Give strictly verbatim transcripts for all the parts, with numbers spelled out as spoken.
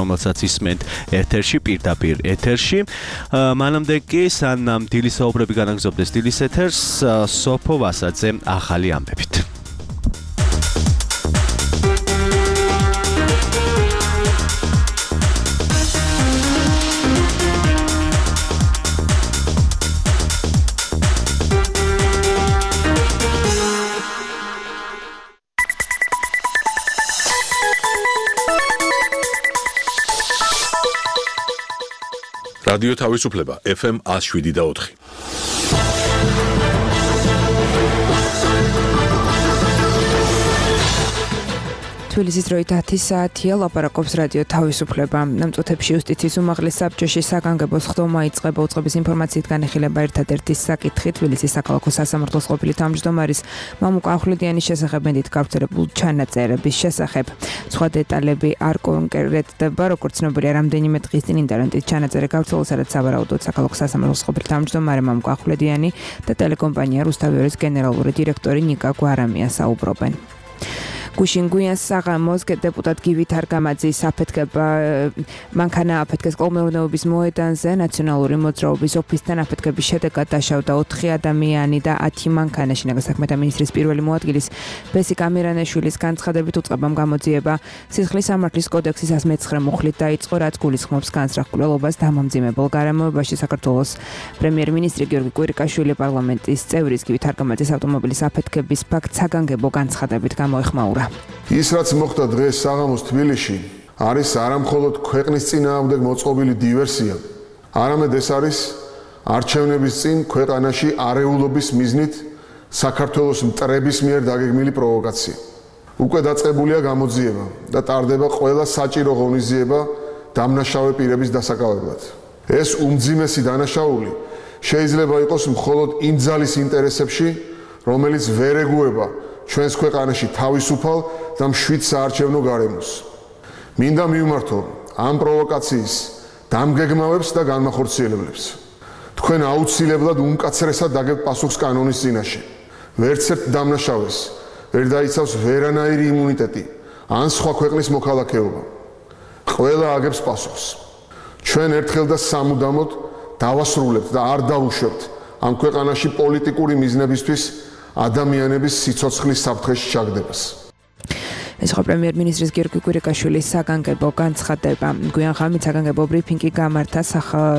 რომელსაც ისმენთ ეთერში, პირდაპირ ეთერში. მანამდე კი სანამ დილის საუბრები განაგრძობდეს დილის ეთერს, სოფო ვასაძე ახალი ამბებით. რადიო თავისუფლება ეფ ემ one oh seven და four. თბილისის დროით ათი საათია, ლაპარაკობს რადიო თავისუფლება. ნამწუთებში იუსტიციის უმაღლეს საბჭოში საგანგებო სხდომა იწყება უწყების ინფორმაციით განიხილება ერთადერთი საკითხი თბილისის საქალაქო სასამართლოს ყოფილი თავმჯდომარის მამუკა ახვლედიანის შესახებ მედით გავრცელებულ ჩანაწერების შესახებ. სხვა დეტალები არ კონკრეტდება, როგორც ცნობილია, რამდენიმე დღის წინ ინტერნეტით ჩანაწერი გავრცელდა, სადაც სავარაუდოდ საქალაქო სასამართლოს ყოფილი თავმჯდომარე მამუკა ახვლედიანი და ტელეკომპანია რუსთავიორის გენერალური დირექტორი ნიკა გვარამია საუბრობენ. გუშინ გვიან საღამოს დეპუტატ გივით არგამაძის აფეთქება მანქანა აფეთქეს კოლმეურნეობის მოედანზე ნაციონალური მოძრაობის ოფისთან აფეთქების შედეგად დაშავდა ოთხი ადამიანი და ათი მანქანა. შინაგან საქმეთა მინისტრის პირველი მოადგილის ბესიკ ამირანაშვილის განცხადებით უწყებამ გამოძიება სისხლის სამართლის კოდექსის one oh nine მუხლით დაიწყო, რაც გულისხმობს განსწრახულობას დამამძიმებელ გარემოებაში. საქართველოს პრემიერ-მინისტრი გიორგი კვირიკაშვილი პარლამენტის წევრის გივით არგამაძის ავტომობილის აფეთქების ფაქტს საგანგებო განცხადებით გამოეხმაურა. ის რაც მოხდა დღეს საღამოს თბილისში არის არამხოლოდ ქვეყნის წინააღმდეგ მოწყობილი დივერსია, არამედ ეს არის არჩევნების წინ ქვეყანაში არეულობის მიზნით საქართველოს მტრების მიერ დაგეგმილი პროვოკაცია. უკვე დაწყებულია გამოძიება და ტარდება ყველა საჭირო ღონისძიება დამნაშავე პირების დასაკავებლად. ეს უმძიმესი დანაშაული შეიძლება იყოს მხოლოდ იმ ძალის ინტერესებში, რომელიც ვერ ეგუება ჩვენს ქვეყანაში თავისუფალ და მშვიდ საარჩევნო გარემოს. მინდა მივმართო ამ პროვოკაციის დამგეგმავებს და განმახორციელებლებს. თქვენ აუცილებლად უმკაცრესად დაგებთ პასუხს კანონის წინაშე. ვერც ერთ დამნაშავეს ვერ დაიცავს ვერანაირი იმუნიტეტი ან სხვა ქვეყნის მოქალაქეობა. ყველა აგებს პასუხს. ჩვენ ერთხელ და სამუდამოდ დავასრულებთ და არ დავუშვებთ ამ ქვეყანაში პოლიტიკური მიზნებისთვის ადამიანების სიცოცხლის საფრთხეში ჩაგდებას. ეს ხო პრემიერ-მინისტრის გიორგი კვირიკაშვილის საგანგებო განცხადება. გვიან ღამით საგანგებო ბრიფინგი გამართა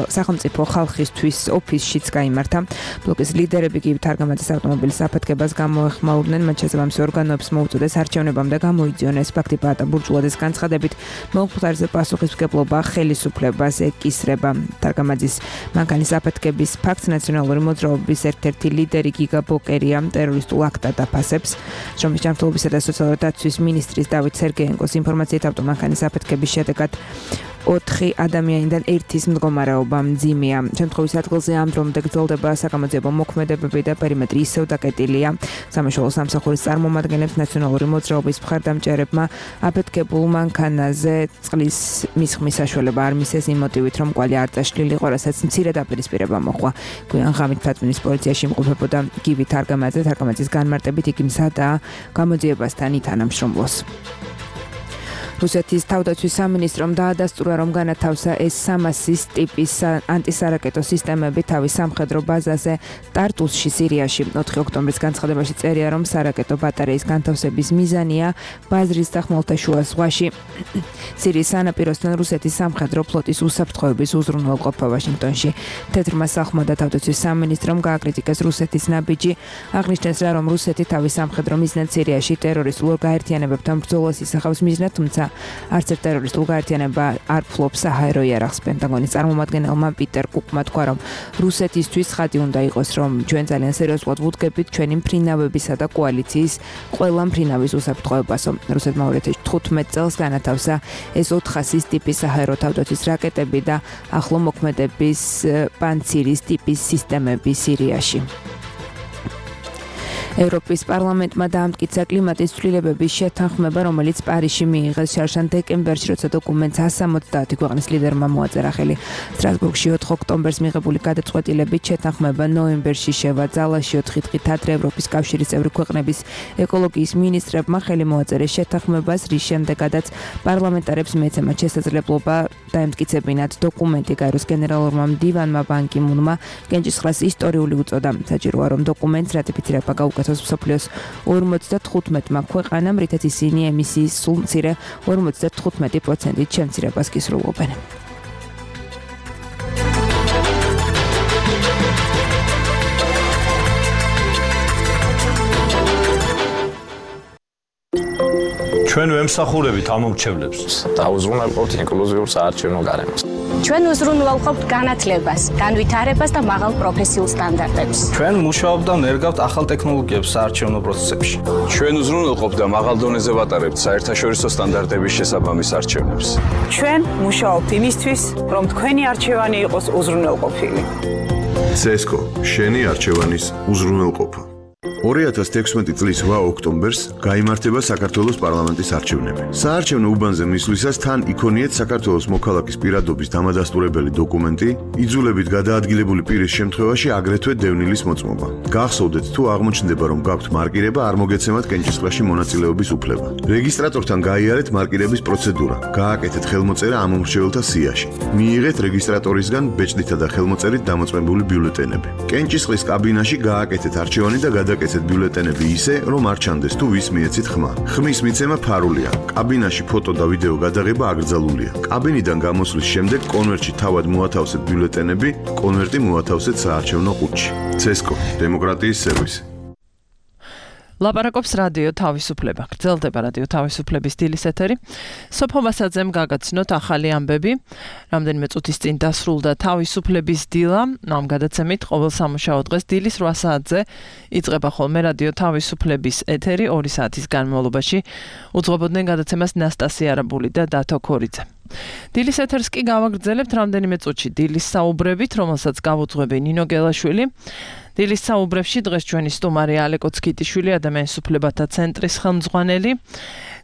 სახელმწიფო ხალხისთვის ოფისშიც გაიმართა. ბლოკის ლიდერები გივით არგამაძის ავტომობილის აფეთქებას გამოეხმაურნენ, მათ შესაბამისი ორგანოებს მოუწოდეს არჩევნებამდე გამოიძიონ ეს ფაქტი. პაატა ბურჯულაძის განცხადებით მომხდარზე პასუხისმგებლობა ხელისუფლებას ეკისრება. არგამაძის მანქანის აფეთქების ფაქტს ნაციონალური მოძრაობის ერთ-ერთი ლიდერი გიგა ბოკერია ტერორისტულ აქტად აფასებს. შრომის ჯანმრთელობისა და სოციალური დაცვის მინისტრი დავით სერგეენკოს ინფორმაციით ავტომანქანის აფეთქების შედეგად ოთხი ადამიანიდან ერთის მდგომარეობა მძიმეა. შემთხვევის ადგილზე ამ დრომდე გრძელდება საგამოძიებო მოქმედებები და პერიმეტრი ისევ დაკეტილია. სამაშველო სამსახურის წარმომადგენლებს ნაციონალური მოძრაობის მხარდამჭერებმა აფეთქებულ მანქანაზე წყლის მისხმის საშუალება არ მისცეს იმ მოტივით, რომ კვალი არ წაშლილიყო, რასაც მცირე დაპირისპირება მოჰყვა. გვიან ღამით თათბირის პოლიციაში იმყოფებოდა გივით არგამაძე. არგამაძის განმარტებით იგი მზადაა გამოძიებასთან ითანამშრომლოს. რუსეთის თავდაცვის სამინისტრომ დაადასტურა, რომ განათავსა ეს სამასის ტიპის ანტისარაკეტო სისტემები თავის სამხედრო ბაზაზე ტარტუსში, სირიაში. ოთხი ოქტომბრის განცხადებაში წერია, რომ სარაკეტო ბატარეის განთავსების მიზანია ბაზრის და ხმელთაშუა ზღვაში სირიის სანაპიროსთან რუსეთის სამხედრო ფლოტის უსაფრთხოების უზრუნველყოფა ვაშინგტონში. თეთრმა სახლმა და თავდაცვის სამინისტრომ გააკრიტიკეს რუსეთის ნაბიჯი, აღნიშნეს რა, რომ რუსეთი თავის სამხედრო მიზნად სირიაში ტერორისტულ გაერთიანებებთან ბრძოლას ისახავს მიზნად, თუმცა არც ერთ ტერორისტულ გაერთიანება არ ფლობს საჰაერო იარაღს. პენტაგონის წარმომადგენელმა პიტერ კუკმა თქვა, რომ რუსეთისთვის ხადი უნდა იყოს, რომ ჩვენ ძალიან სერიოზულად ვუდგებით ჩვენი მფრინავებისა და კოალიციის ყველა მფრინავის უსაფრთხოებასო. რუსეთმა ორი ათას თხუთმეტ წელს განათავსა ეს ოთხასის ტიპის საჰაერო თავდაცვის რაკეტები და ახლო მოქმედების პანცირის ტიპის სისტემები სირიაში. ევროპის პარლამენტმა დაამტკიცა კლიმატის ცვლილებების შეთანხმება, რომელიც პარიზში მიიღეს შარშან დეკემბერში, როცა დოკუმენტს εκατს სამოცდაათი ქვეყნის ლიდერმა მოაწერა ხელი. სტრასბურგში ოთხ ოქტომბერს მიღებული გადაწყვეტილებით შეთანხმება ნოემბერში შევაძალაში ოთხი დღით ადრე ევროპის კავშირის წევრი ქვეყნების ეკოლოგიის მინისტრებმა ხელი მოაწერეს შეთანხმებას, რის შემდეგაც პარლამენტარებს მიეცემათ შესაძლებლობა დაემტკიცებინათ დოკუმენტი. გაეროს გენერალურმა მდივანმა ბან კი მუნმა კენჭისყრას ისტორიული უწოდა. საჭიროა რომ დოკუმენტს რატიფიცირება გაუკეთოს მსოფლიოს ორმოცდათხუთმეტმა ქვეყანამ, რითაც ისინი ემისიის სულ მცირე ორმოცდათხუთმეტი პროცენტით შემცირებას გისრულობენ. ჩვენ ვემსახურებით ამ მომრჩევლებს და უზრუნველყოფთ ინკლუზიურ საარჩევნო გარემოს. ჩვენ უზრუნველყოფთ განათლებას, განვითარებას და მაღალ პროფესიულ სტანდარტებს. ჩვენ მუშაობთ და ნერგავთ ახალ ტექნოლოგიებს საარჩევნო პროცესებში. ჩვენ უზრუნველყოფთ და მაღალ დონეზე ვატარებთ საერთაშორისო სტანდარტების შესაბამის არჩევნებს. ჩვენ მუშაობთ იმისთვის, რომ თქვენი არჩევანი იყოს უზრუნველყოფილი. ცესკო, შენი არჩევანის უზრუნველყოფა. ორი ათას თექვსმეტი წლის რვა ოქტომბერს გაიმართება საქართველოს პარლამენტის არჩევნები. საარჩევნო უბანზე მისვლისას თან იქონიეთ საქართველოს მოქალაქის პირადობის დამადასტურებელი დოკუმენტი, იძულებით გადაადგილებული პირის შემთხვევაში აგრეთვე დევნილის მოწმობა. გახსოვდეთ, თუ აღმოჩნდება, რომ გაქვთ მარკირება, არ მოგეცემათ კენჭისყრაში მონაწილეობის უფლება. რეგისტრატორთან გაიარეთ მარკირების პროცედურა, გააკეთეთ ხელმოწერა ამ მომრჩეველთა სიაში. მიიღეთ რეგისტრატორისგან ბეჭდითა და ხელმოწერით დამოწმებული ბიულეტენები. კენჭისყრის კაბინაში გააკეთეთ არჩევანი და გადაკეთეთ ბიულეტენები ისე, რომ არ ჩანდეს თუ ვის მიეცით ხმა. ხმის მიცემა ფარულია. კაბინაში ფოტო და ვიდეო გადაღება აკრძალულია. კაბინიდან გამოსვლის შემდეგ კონვერტში თავად მოათავსეთ ბიულეტენები, კონვერტი მოათავსეთ საარჩევნო ყუთში. ცესკო, დემოკრატიის სერვისი. ლაპარაკობს რადიო თავისუფლება. გრძელდება რადიო თავისუფლების დილის ეთერი. სოფო ვასაძემ გაგაცნოთ ახალი ამბები. რამდენიმე წუთის წინ დასრულდა თავისუფლების დილა. ამ გადაცემით ყოველ სამუშაო დღეს დილის რვა საათზე იწყება ხოლმე რადიო თავისუფლების ეთერი ორი საათის განმავლობაში. უძღვებოდნენ გადაცემას ნასტასია არაბული და დათო ქორიძე. დილის ეთერს კი გავაგრძელებთ რამდენიმე წუთში დილის საუბრებით, რომელსაც გავუძღვები ნინო გელაშვილი. დილის საუბრებში დღეს ჩვენი სტუმარი ალეკო ცქიტიშვილი, ადამიანის უფლებათა ცენტრის ხელმძღვანელი.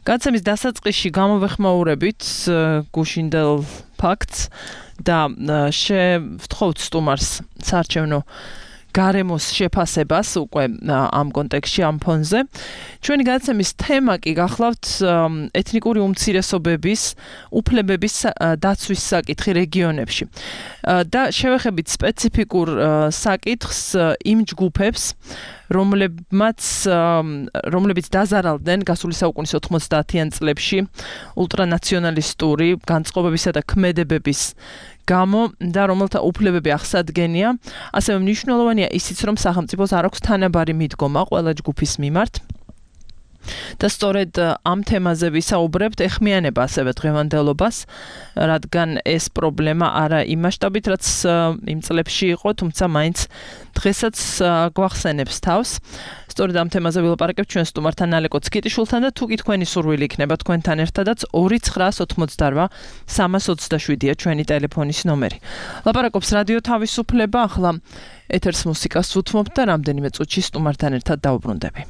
გადაცემის დასაწყისში გამოვეხმაურებით გუშინდელ ფაქტს და შევთხოვთ სტუმარს საარჩევნო გარემოს შეფასებას უკვე ამ კონტექსტში, ამ ფონზე. ჩვენი გადაცემის თემა კი გახლავთ ეთნიკური უმცირესობების უფლებების დაცვის საკითხი რეგიონებში. და შევეხებით სპეციფიკურ საკითხს იმ ჯგუფებს, რომლებმაც რომლებიც დაზარალდნენ გასული საუკუნის ოთხმოცდაათიან წლებში ულტრანაციონალისტური განწყობებისა და ქმედებების გამო და რომელთა უფლებები აღსადგენია, ასევე მნიშვნელოვანია ისიც, რომ სახელმწიფოს არ აქვს თანაბარი მიდგომა ყველა ჯგუფის მიმართ. და სწორედ ამ თემაზე ვისაუბრებთ, ეხმიანება ასევე დღევანდელობას, რადგან ეს პრობლემა არა იმ მასშტაბით, რაც იმ წლებში იყო, თუმცა მაინც დღესაც გვახსენებს თავს. სწორედ ამ თემაზე ვილაპარაკებთ ჩვენ სტუმართან ალეკო ცქიტიშვილთან და თუ კი თქვენი სურვილი იქნება თქვენთან ერთადაც ორი ცხრა ოცდაოთხმოცდარვა სამას ოცდაშვიდია ჩვენი ტელეფონის ნომერი. ლაპარაკობს რადიო თავისუფლება, ახლა ეთერს მუსიკას უთმობთ და რამდენიმე წუთში სტუმართან ერთად დავუბრუნდები.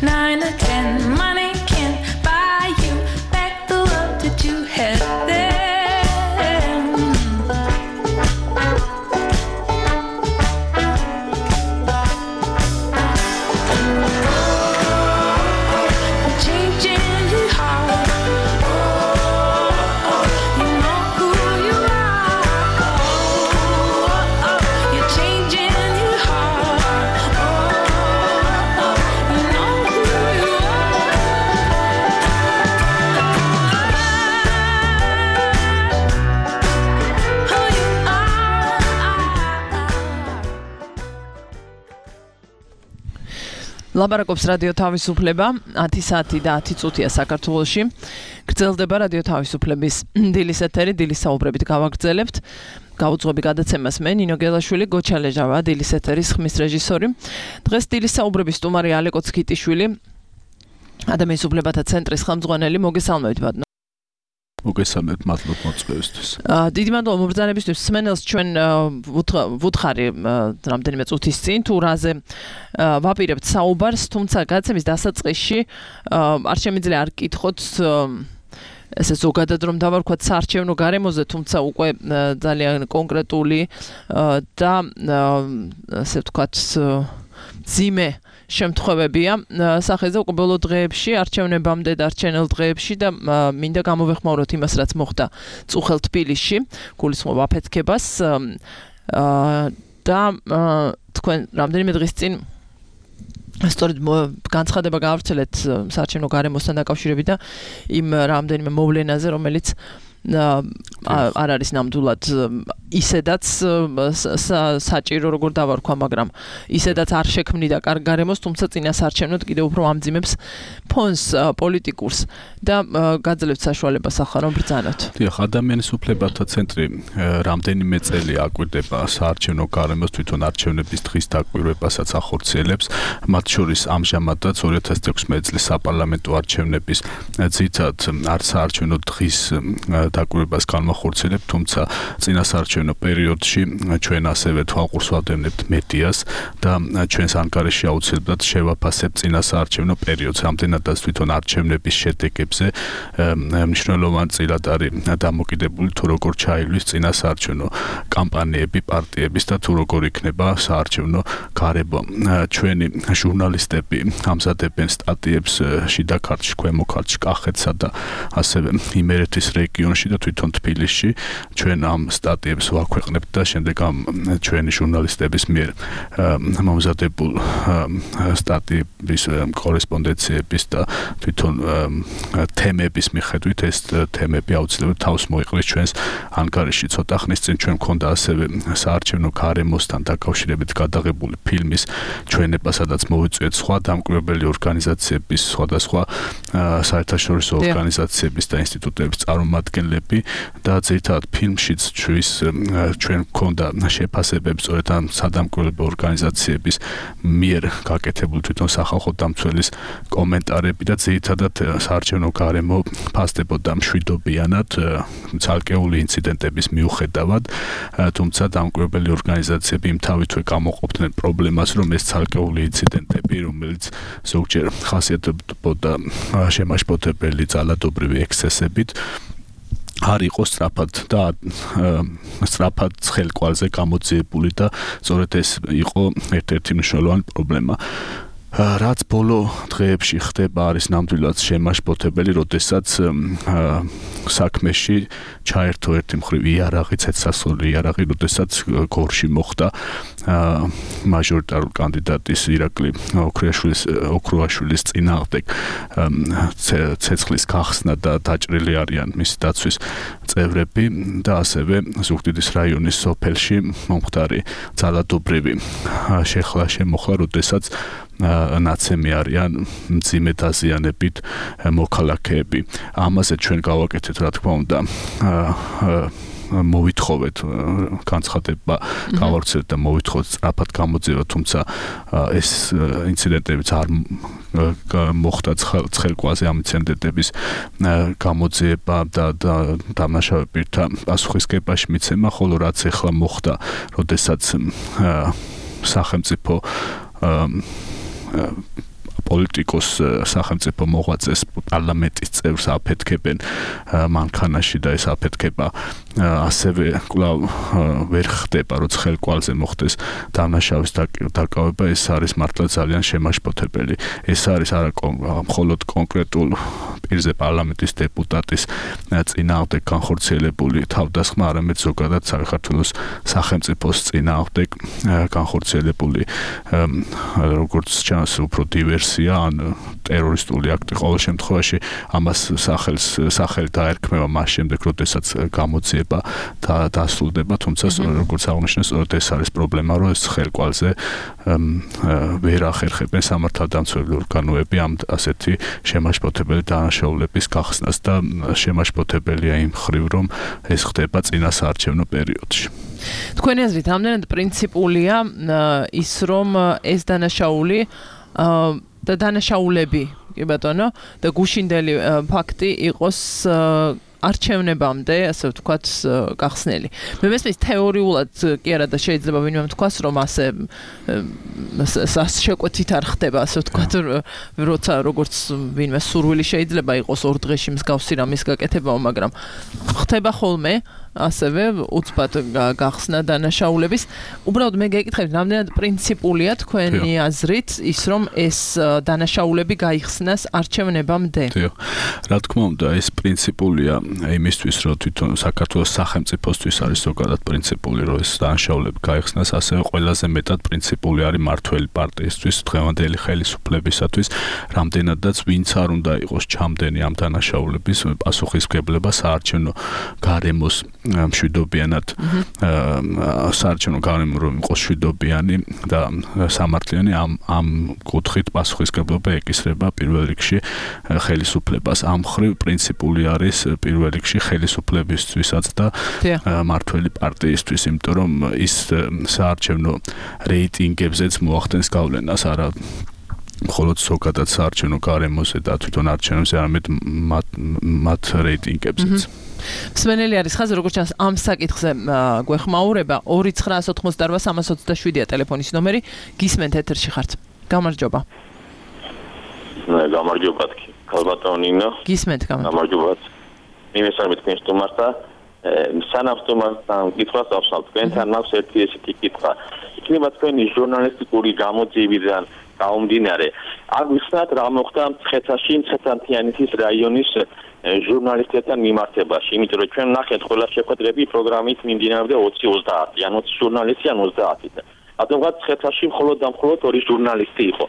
nine or ten. Money can't buy you back the love that you had then. ლაპარაკობს რადიო თავისუფლება ათი საათი და ათი წუთია საქართველოში. გრძელდება რადიო თავისუფლების დილის ეთერი, დილის საუბრებით გავაგრძელებთ. გაუძღობი გადაცემას მე ნინო გელაშვილი, გოჩა ლეჟავა, დილის ეთერის ხმის რეჟისორი. დღეს დილის საუბრების სტუმარი ალეკო ცქიტიშვილი, ადამიანის უფლებათა ცენტრის ხელმძღვანელი. მოგესალმებით ბატონო. მოგესალმებით, მადლობა მოწვევისთვის. დიდი მადლობა მობრძანებისთვის. სმენელს ჩვენ ვუთხარი რამდენიმე წუთის წინ თუ რაზე ვაპირებთ საუბარს, თუმცა გადაცემის დასაწყისში არ შემიძლია არ გკითხოთ ესე ზოგადად რომ დავარქვათ საარჩევნო გარემოზე, თუმცა უკვე ძალიან კონკრეტული და ასე ვთქვათ ძიმე შემთხვევებია სახეზე უკვე ბოლო დღეებში, არჩევნებამდე და არჩევნელ დღეებში და მინდა გამოვეხმაუროთ იმას, რაც მოხდა წუხელ თბილისში, გულისხმობ აფეთქებას და თქვენ რამდენიმე დღის წინ სწორედ განცხადება გაავრცელეთ საარჩევნო გარემოსთან დაკავშირებით და იმ რამდენიმე მოვლენაზე, რომელიც არ არის ნამდვილად ისედაც საჭირო როგორ დავარქვა, მაგრამ ისედაც არ შექმნიდა კარგ გარემოს, თუმცა წინა საარჩევნოდ კიდევ უფრო ამძიმებს ფონს პოლიტიკურს და გაძლევთ საშუალებას ახლა რომ ბრძანოთ. დიახ, ადამიანის უფლებათა ცენტრი რამდენიმე წელი აკვირდება საარჩევნო გარემოს, თვითონ არჩევნების დღის დაკვირვებასაც ახორციელებს, მათ შორის ამჟამადაც ორი ათას თექვსმეტი წლის საპარლამენტო არჩევნების ძირითად არ საარჩევნო დღის დაკვირვებას განმახორციელებთ, თუმცა წინა საარჩევნო პერიოდში ჩვენ ასევე თვალყურს ვადევნებთ მედიას და ჩვენს ანგარიში აუცილებლად შევაფასებთ წინა საარჩევნო პერიოდს. რამდენადაც თვითონ არჩევნების შედეგებზე მნიშვნელოვანი წილად არის დამოკიდებული თუ როგორ ჩაილვის წინა საარჩევნო კამპანიები პარტიების და თუ როგორ იქნება საარჩევნო გარემო. ჩვენი ჟურნალისტები ამზადებენ სტატიებს შიდა ქართლში, ქვემო ქართლში, კახეთსა და ასევე იმერეთის რეგიონში და თვითონ თბილისში. ჩვენ ამ სტატიებს ვაქვეყნებთ და შემდეგ ამ ჩვენი ჟურნალისტების მიერ მომზადებულ სტატიების კორესპონდენციების და თვითონ თემების მიხედვით ეს თემები აუცილებლად თავს მოიყრის ჩვენს ანგარიში. ცოტა ხნის წინ ჩვენ მქონდა ასევე საარჩევნო გარემოსთან დაკავშირებით გადაღებული ფილმის ჩვენება, სადაც მოვიწვიეთ სხვა დამკვირვებელი ორგანიზაციების, სხვადასხვა საერთაშორისო ორგანიზაციების და ინსტიტუტების წარმომადგენლები და ძირითადად ფილმშიც ჩვენს ჩვენ მქონდა შეფასებებს სწორედ ამ სადამკვირვებლო ორგანიზაციების მიერ გაკეთებული თვითონ სახალხო დამცველის კომენტარები და ძირითადად საარჩევნო გარემო ფასდებოდა მშვიდობიანად ცალკეული ინციდენტების მიუხედავად, თუმცა დამკვირვებელი ორგანიზაციები იმ თავითვე გამოყოფდნენ პრობლემას, რომ ეს ცალკეული ინციდენტები, რომელიც ზოგჯერ ხასიათდებოდა შემაშფოთებელი ძალადობრივი ექსცესებით, არ იყო სწრაფად და სწრაფად ცხელკვალზე გამოძიებული და სწორედ ეს იყო ერთ-ერთი მნიშვნელოვანი პრობლემა. რაც ბოლო დღეებში ხდება არის ნამდვილად შემაშფოთებელი, როდესაც საქმეში ჩაერთო ერთი მხრივ იარაღი, ცეცხლსასროლი იარაღი, როდესაც გორში მოხდა მაჟორიტარული კანდიდატის ირაკლი ოქრუაშვილის ოქრუაშვილის წინააღმდეგ ცეცხლის გახსნა და დაჭრილი არიან მისი დაცვის წევრები და ასევე ზუგდიდის რაიონის სოფელში მომხდარი ძალადობრივი შეხლა შემოხლა, როდესაც ნაცემი არიან მძიმე დაზიანებით მოქალაქეები. ამაზე ჩვენ გავაკეთეთ, რა თქმა უნდა, მოვითხოვეთ განცხადება, გავავრცელეთ და მოვითხოვეთ სწრაფად გამოძიება, თუმცა ეს ინციდენტებიც არ მოხდა ცხელკვალზე ამ ინციდენტების გამოძიება და დამნაშავე პირთა პასუხისგებაში მიცემა, ხოლო რაც ახლა მოხდა, როდესაც სახელმწიფო პოლიტიკოს სახელმწიფო მოღვაწეს პარლამენტის წევრს აფეთქებენ მანქანაში და ეს აფეთქება ასევე კვლავ ვერ ხდება, როცა ხელკვალზე მოხდეს დამნაშავის დაკავება, ეს არის მართლა ძალიან შემაშფოთებელი. ეს არის არა მხოლოდ კონკრეტულ პირზე პარლამენტის დეპუტატის წინააღმდეგ განხორციელებული თავდასხმა, არამედ ზოგადად საქართველოს სახელმწიფოს წინააღმდეგ განხორციელებული როგორც ჩანს უფრო დივერსია ან ტერორისტული აქტი. ყოველ შემთხვევაში ამას სახელს სახელი დაერქმევა მას შემდეგ, როდესაც გამოძიება და დასრულდება, თუმცა როგორც აღნიშნეს, სწორედ ეს არის პრობლემა, რომ ეს ხელკვალზე ვერ ახერხებენ სამართალდამცველი ორგანოები ამ ასეთი შემაშფოთებელი დანაშაულების გახსნას და შემაშფოთებელია იმ მხრივ, რომ ეს ხდება წინასაარჩევნო პერიოდში. თქვენი აზრით, ამდენად პრინციპულია ის, რომ ეს დანაშაული და დანაშაულები, კი ბატონო, და გუშინდელი ფაქტი იყოს არჩევნებამდე, ასე ვთქვათ, გახსნელი. მე მესმის თეორიულად კი არა და შეიძლება ვინმე თქვას, რომ ასე შეკვეთით არ ხდება, ასე ვთქვათ, როცა როგორც ვინმე სურვილი შეიძლება იყოს ორ დღეში მსგავსი რამის გაკეთება, მაგრამ ხდება ხოლმე ასევე უცბად გახსნა დანაშაულების. უბრალოდ მე გეკითხებით, რამდენად პრინციპულია თქვენი აზრით ის, რომ ეს დანაშაულები გაიხსნას არჩევნებამდე? დიახ. რა თქმა უნდა, ეს პრინციპულია იმისთვის, რომ თვითონ საქართველოს სახელმწიფოსთვის არის ზოგადად პრინციპული, რომ ეს დანაშაულები გაიხსნას, ასევე ყველაზე მეტად პრინციპული არის მართველი პარტიისთვის, დღევანდელი ხელისუფლებისათვის, რამდენადაც ვინც არ უნდა იყოს ჩამდენი ამ დანაშაულების პასუხისმგებლობა საარჩევნო გარემოს მშვიდობიანად საარჩევნო გარემო რომ იყოს მშვიდობიანი და სამართლიანი ამ ამ კუთხით პასუხისმგებლობა ეკისრება პირველ რიგში ხელისუფლებას. ამ მხრივ პრინციპული არის პირველ რიგში ხელისუფლებისთვისაც და მართველი პარტიისთვის, იმიტომ რომ ის საარჩევნო რეიტინგებზეც მოახდენს გავლენას, არა მხოლოდ ზოგადად საარჩევნო გარემოზე და თვითონ არჩევნებზე, არამედ მათ რეიტინგებზეც. მსმენელი არის ხაზი, როგორც ჩანს, ამ საკითხზე გვეხმაურება ორი ცხრა ოცდაოთხმოცდაოთხ სამას ოცდაშვიდია ტელეფონის ნომერი. გისმენთ ეთერში ხართ. გამარჯობა. გამარჯობა, ქალბატონინო. გისმენთ, გამარჯობა. მიმესალმე თქვენ სტუმართა. სანამ სტუმართან კითხვას ავსავთ, თქვენთან მაქვს ერთი ესეთი კითხვა. იქნება თქვენი ჟურნალისტიკური გამოძიებიდან გამომდინარე. აგვიხსნათ რა მოხდა მცხეთაში, მცხეთ-ანთიანეთის რაიონის ჟურნალისტებთან მიმართებაში, იმიტომ რომ ჩვენ ნახეთ ყველა შეხვედრები პროგრამით მიმდინარეობდა ოცი ოცდაათი, ან ოცი ჟურნალისტი, ან ოცდაათი. რადგან მცხეთაში მხოლოდ და მხოლოდ ორი ჟურნალისტი იყო.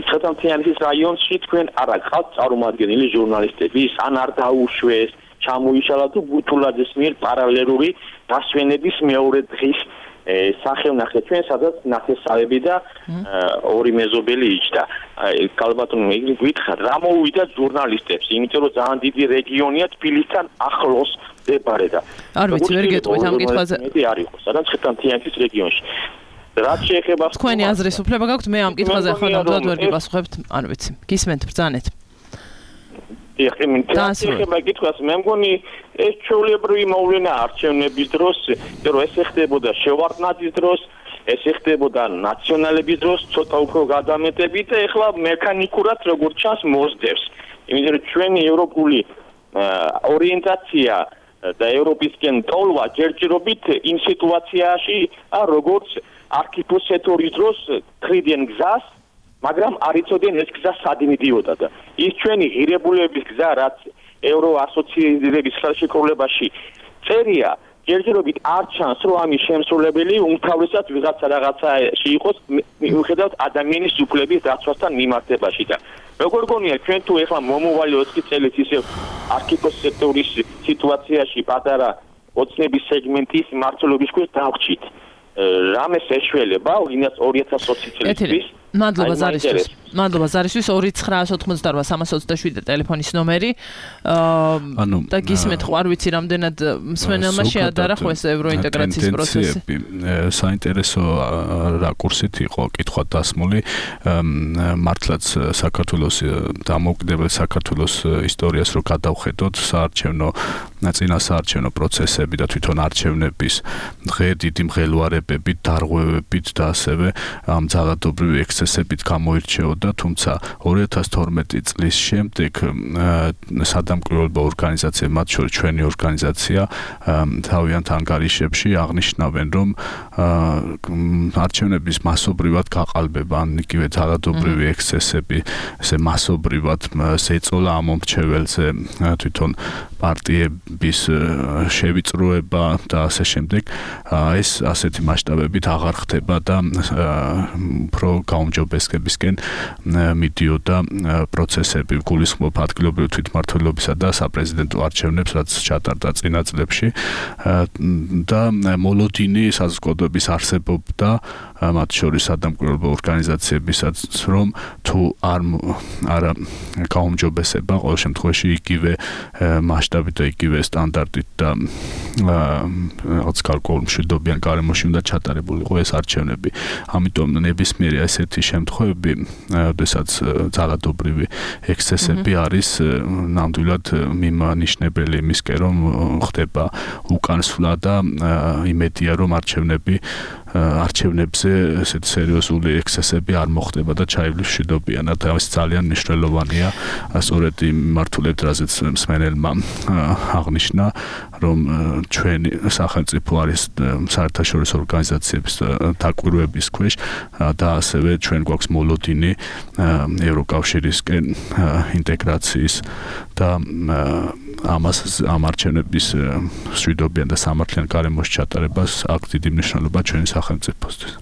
მცხეთ-ანთიანეთის რაიონში თქვენ არ გყავთ წარმომადგენელი ჟურნალისტები, ან არ დაუშვეს, ჩამოიშალა თუ გუთულაძის მიერ პარალელური დასვენების მეორე დღის სახელნახე ჩვენ, სადაც ნათესავები და ორი მეზობელი იჯდა. კალბატონო, იგი გითხარ, რა მოუვიდა ჟურნალისტებს, იმიტომ რომ ძალიან დიდი რეგიონია თბილისთან ახლოს მდებარე და არ ვიცი, ვერ გეტყვით ამ კითხვაზე. არ იყო, სადაც მცხეთ-ანთიანეთის რეგიონში. რაც შეეხება თქვენი აზრის უფლება გაქვთ, მე ამ კითხვაზე ახლა ნამდვილად ვერ გიპასუხებთ, არ ვიცი. გისმენთ, ბრძანეთ. ეხება კითხვას, მე მგონი ეს ჩვეულებრივი მოვლენა არჩევნების დროს, რომ ეს ეხდებოდა შევარდნაძის დროს, ეს ეხდებოდა ნაციონალების დროს, ცოტა უფრო გადამეტებით და ეხლა მექანიკურად როგორც ჩანს მოსდევს. იმიტომ რომ ჩვენი ევროპული ორიენტაცია და ევროპისკენ ტოლვა ჯერჯერობით იმ სიტუაციაში, როგორც არქიპოს სექტორის დროს ტრიდიან გზას, მაგრამ არ იცოდნენ ეს გზა სად მიდიოდა და ის ჩვენი ღირებულებების გზა, რაც ევრო ასოციაციების ხელშეკრულებაში წერია, ჯერჯერობით არ ჩანს, რომ ამის შემსრულებელი უმთავრესად ვიღაცა რაღაცაში იყოს, მიუხედავად ადამიანის უფლების დაცვასთან მიმართებაში და როგორ გონია ჩვენ თუ ეხლა მომავალი ოცი წელიც ისე არქიპოს სექტორის სიტუაციაში პატარა ოცნების სეგმენტის მართლობის ქვეშ დავჭით. რამეს ეშველება ორი ათას ოცი წელიწადს. მადლობა ზარისთვის. მადლობა ზარისთვის ორი ცხრა ოცდაოთხმოცდაოთხ სამას ოცდაშვიდი ტელეფონის ნომერი. ანუ და გისმენთ, ხო არ ვიცი რამდენად მსმენელმა შეადარა ხო ეს ევროინტეგრაციის პროცესი. საინტერესო რაკურსით იყო კითხვა დასმული. მართლაც საქართველოს დამოუკიდებელ საქართველოს ისტორიას რო გადავხედოთ, საარჩევნო წინასაარჩევნო პროცესები და თვითონ არჩევნების დღე დიდი მღელვარებებით, დარღვევებით და ასევე ამ ძალადობრივი ექსცესებით გამოირჩეოდა, თუმცა ორი ათას თორმეტი წლის შემდეგ სადამკვირვებლო ორგანიზაცია, მათ შორის ჩვენი ორგანიზაცია, თავიანთ ანგარიშებში აღნიშნავენ, რომ არჩევნების მასობრივად გაყალბება, ან იგივე ძალადობრივი ექსცესები, ესე მასობრივად შეეწოლა ამ მომრჩეველზე თვითონ პარტიების შევიწროება და ასე შემდეგ, ეს ასეთი მასშტაბებით აღარ ხდება და უფრო გაუმჯობესებისკენ მიდიოდა პროცესები, გულისხმობ ადგილობრივ თვითმმართველობისა და საპრეზიდენტო არჩევნებს, რაც ჩატარდა წინა წლებში და მოლოდინი საზოგადოების არსებობდა, მათ შორის სადამკვირვებლო ორგანიზაციებისაც, რომ თუ არ არა გაუმჯობესება, ყოველ შემთხვევაში იგივე მასშტაბით და იგივე სტანდარტით და რაღაც გარკვეულ მშვიდობიან გარემოში უნდა ჩატარებულიყო ეს არჩევნები. ამიტომ ნებისმიერი ესეთი შემთხვევები, როდესაც ძალადობრივი ექსცესები არის ნამდვილად მიმანიშნებელი იმისკენ, რომ ხდება უკანსვლა და იმედია, რომ არჩევნები არჩევნებზე ესეთ სერიოზული ექსცესები არ მოხდება და ჩაივლის მშვიდობიანად. ეს ძალიან მნიშვნელოვანია, სწორედ იმ მართულებით, რაზეც მსმენელმა აღნიშნა, რომ ჩვენი სახელმწიფო არის საერთაშორისო ორგანიზაციების დაკვირვების ქვეშ და ასევე ჩვენ გვაქვს მოლოდინი ევროკავშირისკენ ინტეგრაციის და ამას ამ არჩევნების მშვიდობიან და სამართლიან გარემოში ჩატარებას აქვს დიდი მნიშვნელობა ჩვენი სახელმწიფოსთვის.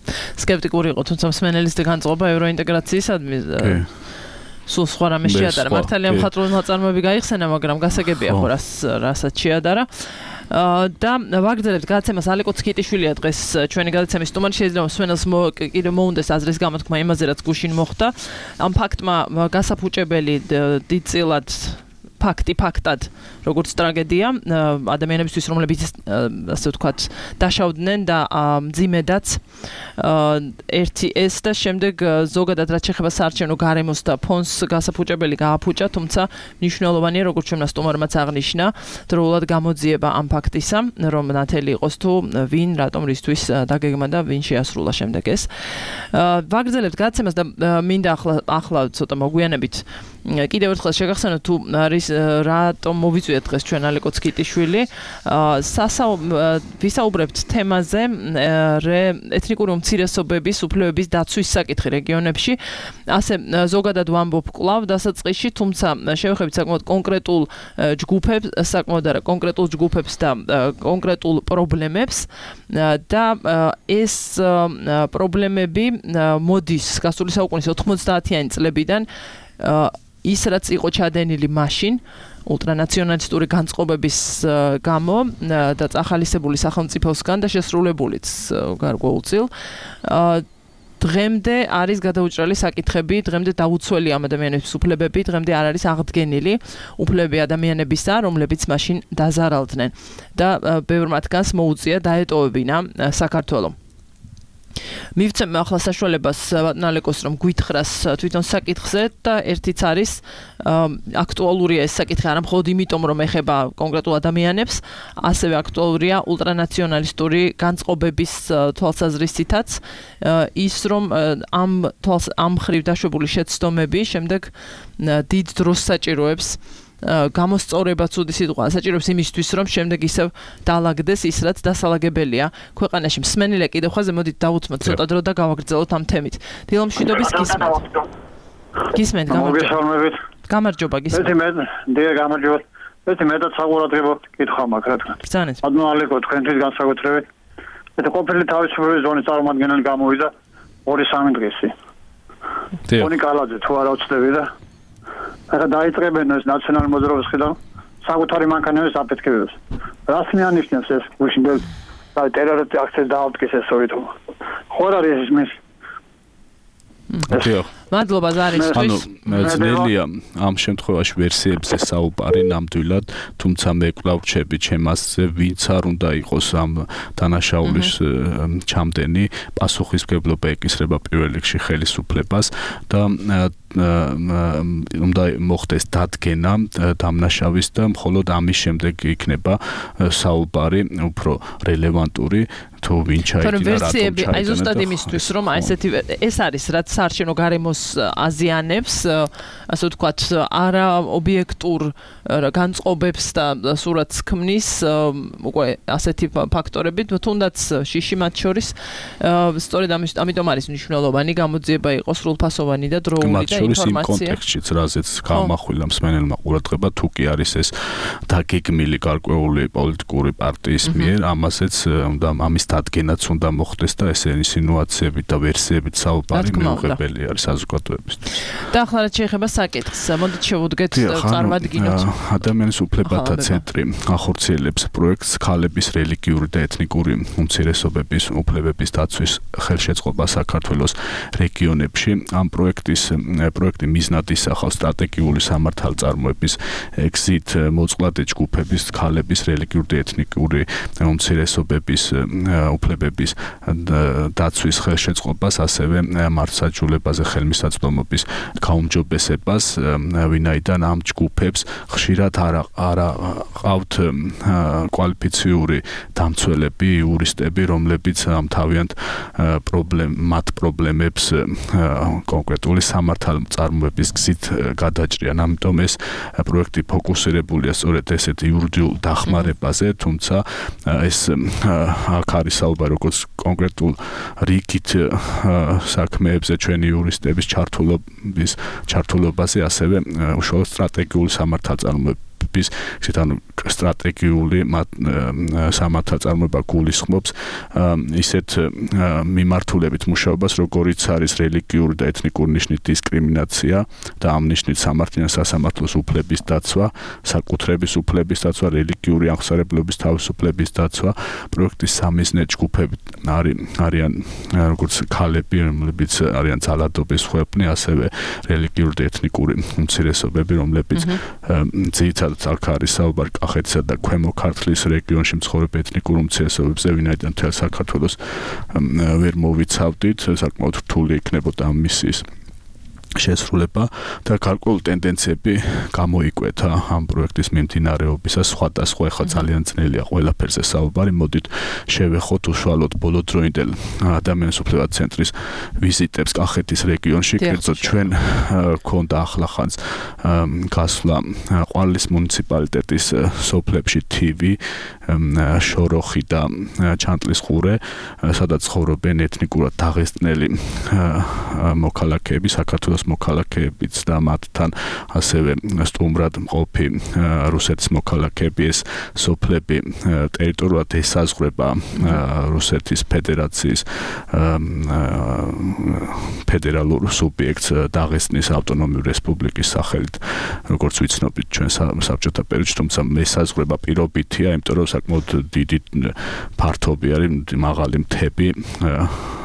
სკეპტიკური იყო, თუმცა მსმენელის განწყობა ევროინტეგრაციისადმი სულ სხვა რამე შეადარა. მართალია მხატვრული ნაწარმოები გაიხსენა, მაგრამ გასაგებია ხო რას რასაც შეადარა. და ვაგრძელებთ გადაცემას. ალიკო ცქიტიშვილია დღეს ჩვენი გადაცემის სტუმარი. შეიძლება მსმენელს კიდევ მოუნდეს აზრის გამოთქმა იმაზე, რაც გუშინ მოხდა. ამ ფაქტმა გასაფუჭებელი დიდწილად ფაქტი ფაქტად როგორც ტრაგედია ადამიანებისთვის, რომლებიც ასე ვთქვათ დაშავდნენ და მძიმედაც ერთი ეს და შემდეგ ზოგადად რაც შეეხება საარჩევნო გარემოს და ფონს გასაფუჭებელი გააფუჭა, თუმცა მნიშვნელოვანია, როგორც ჩვენმა სტუმარმაც აღნიშნა, დროულად გამოძიება ამ ფაქტისა, რომ ნათელი იყოს თუ ვინ რატომ რისთვის დაგეგმა და ვინ შეასრულა შემდეგ ეს. ვაგრძელებთ გადაცემას და მინდა ახლა ახლა ცოტა მოგვიანებით კიდევ ერთხელ შეგახსენოთ თუ არის რატომ მოვიწვიეთ დღეს ჩვენ ალიკო ცქიტიშვილი. ვისაუბრებთ თემაზე ეთნიკური უმცირესობების უფლებების დაცვის საკითხი რეგიონებში. ასე ზოგადად ვამბობ კვლავ დასაწყისში, თუმცა შევეხებით საკმაოდ კონკრეტულ ჯგუფებს, საკმაოდ არა კონკრეტულ ჯგუფებს და კონკრეტულ პრობლემებს და ეს პრობლემები მოდის გასული საუკუნის ოთხმოცდაათიანი წლებიდან ის რაც იყო ჩადენილი მაშინ ულტრანაციონალისტური განწყობების გამო და წახალისებული სახელმწიფოსგან და შესრულებულიც გარკვეულწილ დღემდე არის გადაუჭრელი საკითხები, დღემდე დაუცველი ამ ადამიანების უფლებები, დღემდე არ არის აღდგენილი უფლებები ადამიანებისა, რომლებიც მაშინ დაზარალდნენ და ბევრ მათგანს მოუწია დაეტოვებინა საქართველო. მივცემ ახლა საშუალებას ბატონალეკოს რომ გვითხრას თვითონ საკითხზე და ერთიც არის აქტუალურია ეს საკითხი არა მხოლოდ იმიტომ რომ ეხება კონკრეტულ ადამიანებს, ასევე აქტუალურია ულტრანაციონალისტური განწყობების თვალსაზრისითაც ის რომ ამ თვალს ამ ხრივ დაშვებული შეცდომები შემდეგ დიდ დროს საჭიროებს გამოსწორებაც უდი სიტყვა საჭიროებს იმისთვის რომ შემდეგ ისევ დაალაგდეს ის რაც დასალაგებელია ქვეყანაში. მსმენელია კიდევ ხაზე, მოდით დავუთმოთ ცოტა დრო და გავაგრძელოთ ამ თემით. დილომშვიდობის გისმენთ. გისმენთ, გამარჯობა. გამარჯობა გისმენთ. მე მე გამარჯობა. მე მეტად საყურადღებო კითხვა მაქვს რა თქმა უნდა. ბრძანეთ. ანუ ალეკო თქვენთვის განსაკუთრებით. მე ყოფილი თავისუფლების ზონის წარმომადგენელი გამოვიდა ორი სამი დღესი. თონი კალაძე თუ არა უცდები და ახლა დაიწყებენ ეს ნაციონალური მოძრაობის ხედავ საკუთარი მანქანების აფეთქებებს. რას მეანიშნებს ეს გუშინ და ტერორისტი აქციას დაავდგეს ეს ორი თქმა. ხო არ არის ის მის მადლობა ზარისთვის. ანუ ძნელია ამ შემთხვევაში ვერსიებზე საუბარი ნამდვილად, თუმცა მე კვლავ ვჩები ჩემასზე, ვინც არ უნდა იყოს ამ დანაშაულის ჩამდენი, პასუხისმგებლობა ეკისრება პირველ რიგში ხელისუფლებას და უნდა მოხდეს დადგენა დამნაშავის და მხოლოდ ამის შემდეგ იქნება საუბარი უფრო რელევანტური თუ ვინ ჩაიდინა რატომ ჩაიდინა. აი ზუსტად იმისთვის რომ აი ესეთი ეს არის რაც საარჩევნო გარემოს აზიანებს, ასე ვთქვათ, არა ობიექტურ განწყობებს და სურათს ქმნის უკვე ასეთი ფაქტორები, თუნდაც შიში მათ შორის სწორედ ამიტომ არის მნიშვნელოვანი გამოძიება იყოს სრულფასოვანი და დროული და ინფორმაცია. მათ შორის იმ კონტექსტშიც, რაზეც გამახვილა მსმენელმა ყურადღება, თუ კი არის ეს დაგეგმილი გარკვეული პოლიტიკური პარტიის მიერ, ამასაც უნდა ამის დადგენაც უნდა მოხდეს და ეს ინსინუაციებით და ვერსიებით საუბარი მიუღებელი არის საზოგადოებისთვის. და ახლა რაც შეეხება საკითხს, მოდით შევუდგეთ წარმოვადგინოთ. ადამიანის უფლებათა ცენტრი ახორციელებს პროექტს ქალების რელიგიური და ეთნიკური უმცირესობების უფლებების დაცვის ხელშეწყობა საქართველოს რეგიონებში. ამ პროექტის პროექტი მიზნად ისახავს სტრატეგიული სამართალწარმოების გზით მოწყვლადი ჯგუფების ქალების რელიგიური და ეთნიკური უმცირესობების უფლებების დაცვის ხელშეწყობას, ასევე მართლმსაჯულებაზე ხელმისაწვდომობის გაუმჯობესებას, ვინაიდან ამ ჯგუფებს ხშირად არა არა ყავთ კვალიფიციური დამცველები, იურისტები, რომლებიც ამ თავიანთ პრობლემ მათ პრობლემებს კონკრეტული სამართალწარმოების გზით გადაჭრიან. ამიტომ ეს პროექტი ფოკუსირებულია სწორედ ესეთ იურიდიულ დახმარებაზე, თუმცა ეს აქ არის საუბარი როგორც კონკრეტულ რიგით საქმეებზე ჩვენი იურისტების ჩართულობის ჩართულობაზე, ასევე უშუალოდ სტრატეგიული სამართალწარმოების გზით, ანუ სტრატეგიული სამართალწარმოება გულისხმობს ისეთ მიმართულებით მუშაობას, როგორიც არის რელიგიური და ეთნიკური ნიშნით დისკრიმინაცია და ამ ნიშნით სამართლიან სასამართლოს უფლების დაცვა, საკუთრების უფლების დაცვა, რელიგიური აღმსარებლობის თავისუფლების დაცვა. პროექტის სამიზნე ჯგუფები არიან როგორც ქალები, რომლებიც არიან ძალადობის ხვეპნი, ასევე რელიგიური და ეთნიკური უმცირესობები, რომლებიც ძირითადად აქ არის საუბარი კახეთსა და ქვემო ქართლის რეგიონში მცხოვრებ ეთნიკურ უმცირესობებზე, ვინაიდან მთელ საქართველოს ვერ მოვიცავდით, საკმაოდ რთული იქნებოდა ამ მისიის შესრულება და გარკვეული ტენდენციები გამოიკვეთა ამ პროექტის მიმდინარეობისას. სხვადასხვა ახლა ძალიან ძნელია ყველაფერზე საუბარი. მოდით შევეხოთ უშუალოდ ბოლოდროინდელ ადამიანის უფლებათა ცენტრის ვიზიტებს კახეთის რეგიონში. კერძოდ ჩვენ გქონდა ახლახანს გასვლა ყვარლის მუნიციპალიტეტის სოფლებში თივი, შოროხი და ჩანტლის ყურე, სადაც ცხოვრობენ ეთნიკურად დაღესტნელი მოქალაქეები, საქართველოს მოქალაქეებიც და მათთან ასევე სტუმრად მყოფი რუსეთის მოქალაქეები. ეს სოფლები ტერიტორიულად ესაზღვრება რუსეთის ფედერაციის ფედერალურ სუბიექტს დაღესტნის ავტონომიური რესპუბლიკის სახელით, როგორც ვიცნობთ ჩვენ საბჭოთა პერიოდში, თუმცა ესაზღვრება პირობითია, იმიტომ რომ საკმაოდ დიდი ფართობი არის, მაღალი მთები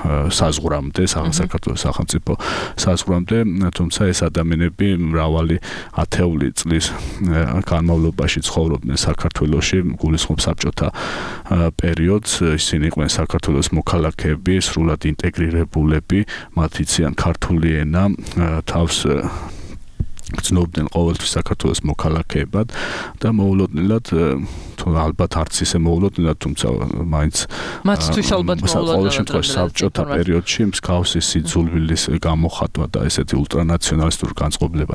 საზღვრამდე, საქართველოს სახელმწიფო საზღვრამდე, თუმცა ეს ადამიანები მრავალი ათეული წლის განმავლობაში ცხოვრობდნენ საქართველოში, გულისხმობს საბჭოთა პერიოდს. ისინი იყვნენ საქართველოს მოქალაქეები, სრულად ინტეგრირებულები, მათ იციან ქართული ენა, თავს გრძნობდნენ ყოველთვის საქართველოს მოქალაქეებად და მოულოდნელად, თუ ალბათ არც ისე მოულოდნელად, თუმცა მაინც მათთვის ალბათ მოულოდნელად საბჭოთა პერიოდში მსგავსი სიძულვილის გამოხატვა და ესეთი ულტრანაციონალისტური განწყობილება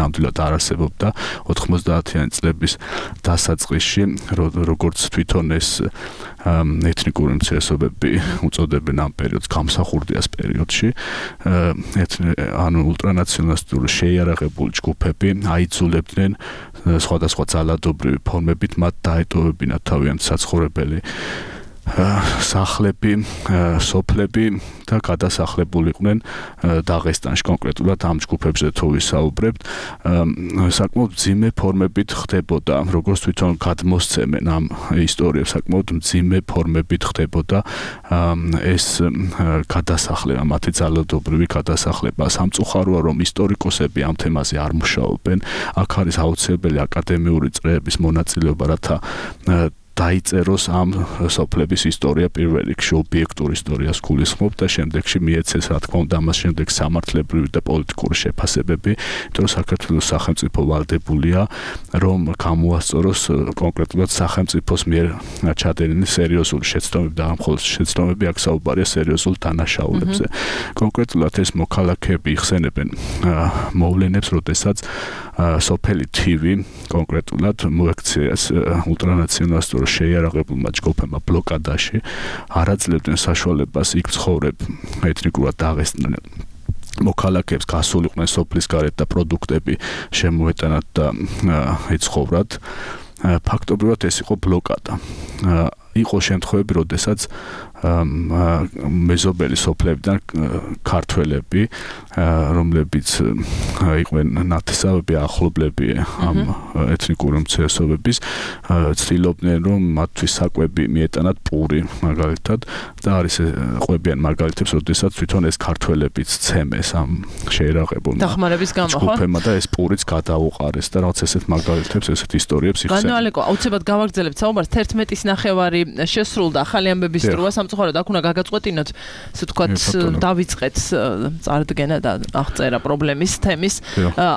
ნამდვილად არ არსებობდა ოთხმოცდაათიანი წლების დასაწყისში, როგორც თვითონ ეს ეთნიკური უმცირესობები უწოდებენ ამ პერიოდს გამსახურდიას პერიოდში, ანუ ულტრანაციონალისტური შეიარაღებული ჯგუფები აიძულებდნენ სხვადასხვა ძალადობრივი ფორმებით მათ დაეტოვებინათ თავიანთი საცხოვრებელი სახლები, სოფლები და გადასახლებულიყვნენ დაღესტანში. კონკრეტულად ამ ჯგუფებზე თუ ვისაუბრებთ, საკმაოდ მძიმე ფორმებით ხდებოდა, როგორც თვითონ გადმოსცემენ ამ ისტორიებს, საკმაოდ მძიმე ფორმებით ხდებოდა ეს გადასახლება, მათი ძალადობრივი გადასახლება. სამწუხაროა, რომ ისტორიკოსები ამ თემაზე არ მუშაობენ. აქ არის აუცილებელი აკადემიური წრეების მონაწილეობა, რათა დაიწეროს ამ სოფლების ისტორია პირველ რიგში ობიექტურ ისტორიას გულისხმობ და შემდეგში მიეცეს რა თქმა უნდა ამას შემდეგ სამართლებრივი და პოლიტიკური შეფასებები, იმიტომ რომ საქართველოს სახელმწიფო ვალდებულია რომ გამოასწოროს კონკრეტულად სახელმწიფოს მიერ ჩადენილი სერიოზული შეცდომები და მხოლოდ შეცდომები აქ საუბარია სერიოზულ დანაშაულებზე. კონკრეტულად ეს მოქალაქეები იხსენებენ მოვლენებს, როდესაც სოფელი თივი კონკრეტულად მოექცეს ულტრანაციონალისტურ შეიარაღებულმა ჯგუფებმა ბლოკადაში, არ აძლევდნენ საშუალებას იქ ცხოვრებ ეთნიკურად დაღესტნელ მოქალაქეებს გასულიყვნენ სოფლის გარეთ და პროდუქტები შემოეტანათ და ეცხოვრათ. ფაქტობრივად ეს იყო ბლოკადა. იყო შემთხვევები, როდესაც მეზობელი სოფლებიდან ქართველები, რომლებიც იყვნენ ნათესავები, ახლობლები ამ ეთნიკური უმცირესობების, ცდილობდნენ რომ მათთვის საკვები მიეტანათ პური მაგალითად და არის ყვებიან მაგალითებს, როდესაც თვითონ ეს ქართველებიც ცემეს ამ შეიარაღებულმა დახმარების გამო, ხო? ჯგუფებმა და ეს პურიც გადაუყარეს და რაღაც ესეთ მაგალითებს, ესეთ ისტორიებს იხსენებენ. განო ალეკო, აუცილებლად გავაგრძელებთ საუბარს. თერთმეტის ნახევარი შესრულდა ახალი ამბების დროა, სამწუხაროდ აქ უნდა გაგაწყვეტინოთ, ასე ვთქვათ, დავიწყეთ წარდგენა და აღწერა პრობლემის თემის.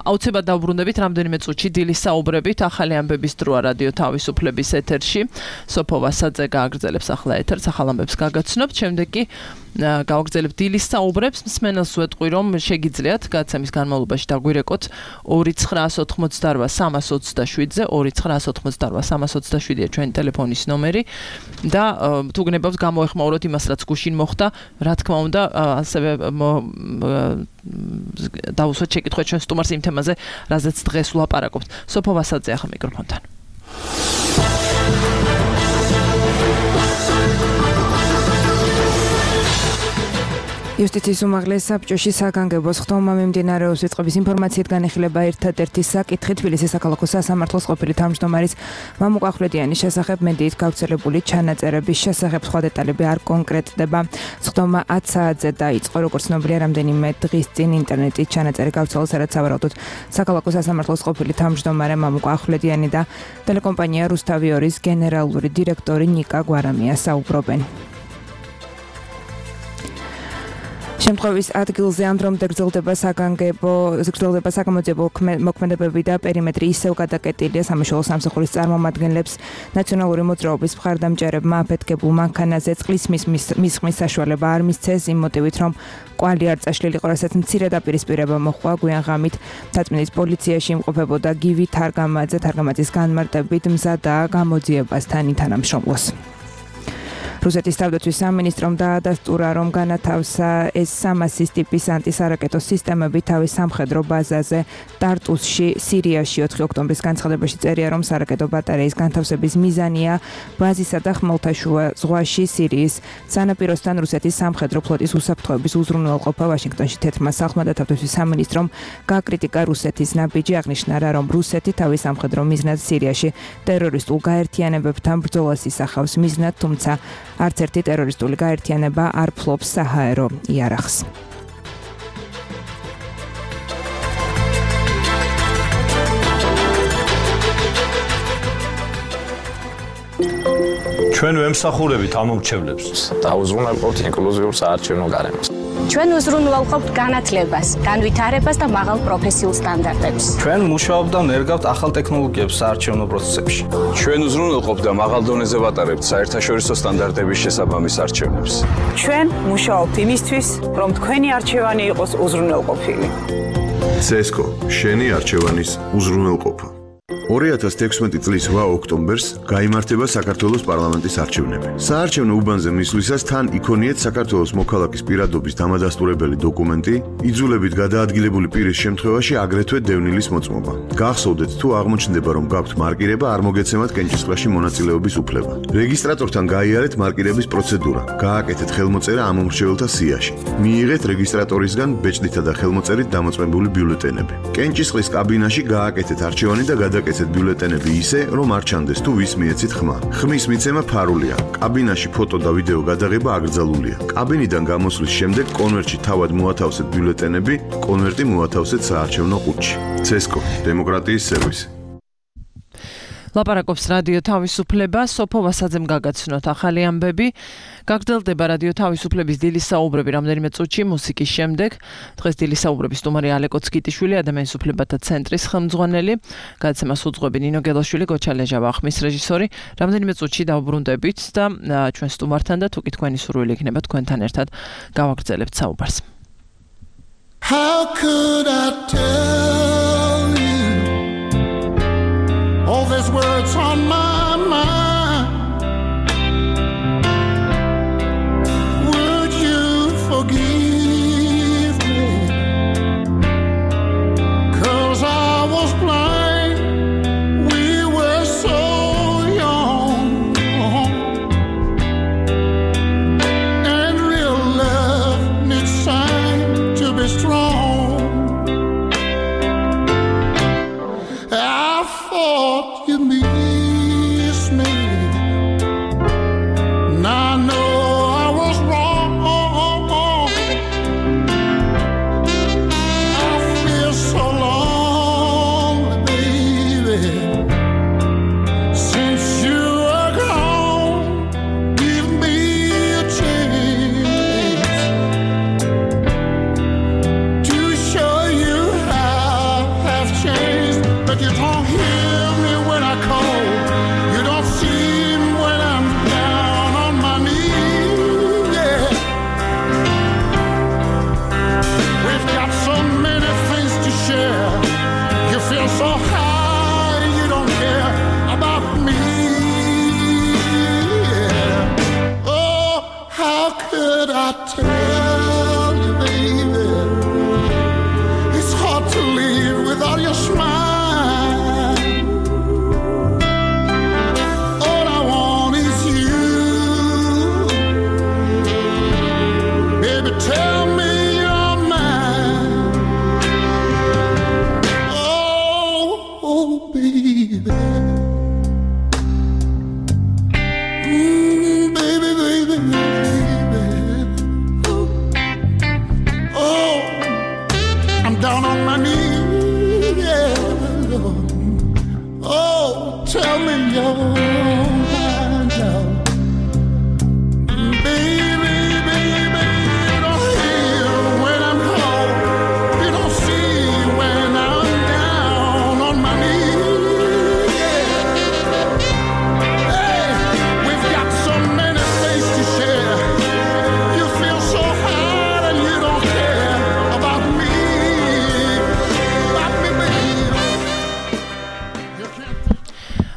აუცილებლად დავბრუნდებით რამდენიმე წუთში დილის საუბრებით. ახალი ამბების დროა რადიო თავისუფლების ეთერში. სოფო ვასაძე გააგრძელებს ახლა ეთერს, ახალ ამბებს გაგაცნობთ. შემდეგ კი გავაგრძელებთ დილის საუბრებს. მსმენელს ვეტყვი, რომ შეგიძლიათ გადაცემის განმავლობაში დაგვირეკოთ ორი ცხრაას ოთხმოცდაოთხ სამას ოცდაშვიდზე, ორი ცხრაას ოთხმოცდაოთხ სამას ოცდაშვიდია ჩვენი ტელეფონის ნომერი და თუ გნებავთ გამოეხმაუროთ იმას, რაც გუშინ მოხდა, რა თქმა უნდა, ასევე დავუსვათ შეკითხვა ჩვენ სტუმარს იმ თემაზე, რაზეც დღეს ვლაპარაკობთ. სოფო ვასაძე ახლა მიკროფონთან. იუსტიციის უმაღლეს საბჭოში საგანგებოს ხდომა მიმდინარეობს ვიწყების ინფორმაციით განიხილება ერთადერთი საკითხი თბილისის საქალაქო სასამართლოს ყოფილი თავმჯდომარის მამუკ ახვლედიანის შესახებ მედიით გავრცელებული ჩანაწერების შესახებ სხვა დეტალები არ კონკრეტდება. ხდომა ათ საათზე დაიწყო, როგორც ცნობილია, რამდენიმე დღის წინ ინტერნეტით ჩანაწერი გავრცელდა, სადაც სავარაუდოდ საქალაქო სასამართლოს ყოფილი თავმჯდომარე მამუკ ახვლედიანი და ტელეკომპანია რუსთავი ორის გენერალური დირექტორი ნიკა გვარამია საუბრობენ. შემთხვევის ადგილზე ამ დრომდე გრძელდება საგანგებო გრძელდება საგამოძიებო მოქმედებები და პერიმეტრი ისევ გადაკეტილია სამშობლო სამსახურის წარმომადგენლებს ნაციონალური მოძრაობის მხარდამჭერებმა აფეთქებულ მანქანაზე წყლის მისხმის საშუალება არ მისცეს იმ მოტივით, რომ კვალი არ წაშლილიყო, რასაც მცირე დაპირისპირება მოჰყვა. გვიან ღამით თაწმინდის პოლიციაში იმყოფებოდა გივი თარგამაძე, თარგამაძის განმარტებით მზადაა გამოძიებასთან თანამშრომლოს. რუსეთის თავდაცვის სამინისტრომ დაადასტურა, რომ განათავსა ეს სამასის ტიპის ანტისარაკეტო სისტემები თავის სამხედრო ბაზაზე ტარტუსში, სირიაში ოთხი ოქტომბრის განცხადებაში წერია, რომ სარაკეტო ბატარეის განთავსების მიზანია ბაზისა და ხმელთაშუა ზღვაში სირიის სანაპიროსთან რუსეთის სამხედრო ფლოტის უსაფრთხოების უზრუნველყოფა. ვაშინგტონში თეთრმა სახლმა და თავდაცვის სამინისტრომ გააკრიტიკა რუსეთის ნაბიჯი, აღნიშნა, რომ რუსეთი თავის სამხედრო მიზნად სირიაში ტერორისტულ გაერთიანებებთან ბრძოლას ისახავს მიზნად, თუმცა არც ერთი ტერორისტული გაერთიანება არ ფლობს საჰაერო იარაღს. ჩვენ ვემსახურებით ამომრჩევლებს. დაუზრუნველყოფთ ინკლუზიურ საარჩევნო გარემოს. ჩვენ უზრუნველყოფთ განათლებას, განვითარებას და მაღალ პროფესიულ სტანდარტებს. ჩვენ მუშაობთ და ნერგავთ ახალ ტექნოლოგიებს საარჩევნო პროცესებში. ჩვენ უზრუნველყოფთ და მაღალ დონეზე ვატარებთ საერთაშორისო სტანდარტების შესაბამის არჩევნებს. ჩვენ მუშაობთ იმისთვის, რომ თქვენი არჩევანი იყოს უზრუნველყოფილი. ცესკო, შენი არჩევანის უზრუნველყოფა. ორი ათას თექვსმეტი წლის რვა ოქტომბერს გაიმართება საქართველოს პარლამენტის არჩევნები. საარჩევნო უბანზე მისვლისას თან იქონიეთ საქართველოს მოქალაქის პირადობის დამადასტურებელი დოკუმენტი, იძულებით გადაადგილებული პირის შემთხვევაში აგრეთვე დევნილის მოწმობა. გახსოვდეთ, თუ აღმოჩნდება, რომ გაქვთ მარკირება, არ მოგეცემათ კენჭისყრაში მონაწილეობის უფლება. რეგისტრატორთან გაიარეთ მარკირების პროცედურა. გააკეთეთ ხელმოწერა ამომრჩეველთა სიაში. მიიღეთ რეგისტრატორისგან ბეჭდითა და ხელმოწერით დამოწმებული ბიულეტენები. კენჭისყრის კაბინაში გააკეთეთ არჩევანი და გადაკეთეთ ბიულეტენები ისე, რომ არ ჩანდეს თუ ვის მიეცით ხმა. ხმის მიცემა ფარულია. კაბინაში ფოტო და ვიდეო გადაღება აკრძალულია. კაბინიდან გამოსვლის შემდეგ კონვერტში თავად მოათავსეთ ბიულეტენები, კონვერტი მოათავსეთ საარჩევნო ყუთში. ცესკო, დემოკრატიის სერვისი. ლაპარაკობს რადიო თავისუფლება, სოფო ვასაძემ გაგაცნოთ ახალი ამბები. გაგრძელდება რადიო თავისუფლების დილის საუბრები რამდენიმე წუთში მუსიკის შემდეგ. დღეს დილის საუბრების სტუმარი ალეკო ცკიტიშვილი, ადამიანის უფლებათა ცენტრის ხელმძღვანელი, გადაცემას უძღვები ნინო გელაშვილი, გოჩა ლეჟავა, ხმის რეჟისორი. რამდენიმე წუთში დავუბრუნდებით და ჩვენ სტუმართან და თუკი თქვენი სურვილი იქნება თქვენთან ერთად გავაგრძელებთ საუბარს. How could I tell you all these words on my mind? Would you forgive me? 'Cause I was blind, we were so young, and real love needs time to be strong. I thought you missed me. Now I know I was wrong. I feel so lonely, baby. Since you are gone, give me a chance to show you how I've changed. But you don't hear me when I call. You don't see me when I'm down on my knees. Yeah. We've got so many things to share. You feel so high, you don't care about me. Yeah. Oh, how could I tell you, baby? It's hard to live without your smile. All I want is you. Baby, tell me you're mine. Oh, oh, baby. Mm, baby, baby, baby. Oh, I'm down on my knees. Yeah. Oh, tell me you're mine, love. Baby, baby, you don't hear when I'm cold. You don't see when I'm down on my knees. Yeah. Hey, we've got so many things to share. You feel so hard and you don't care about me. About me, baby.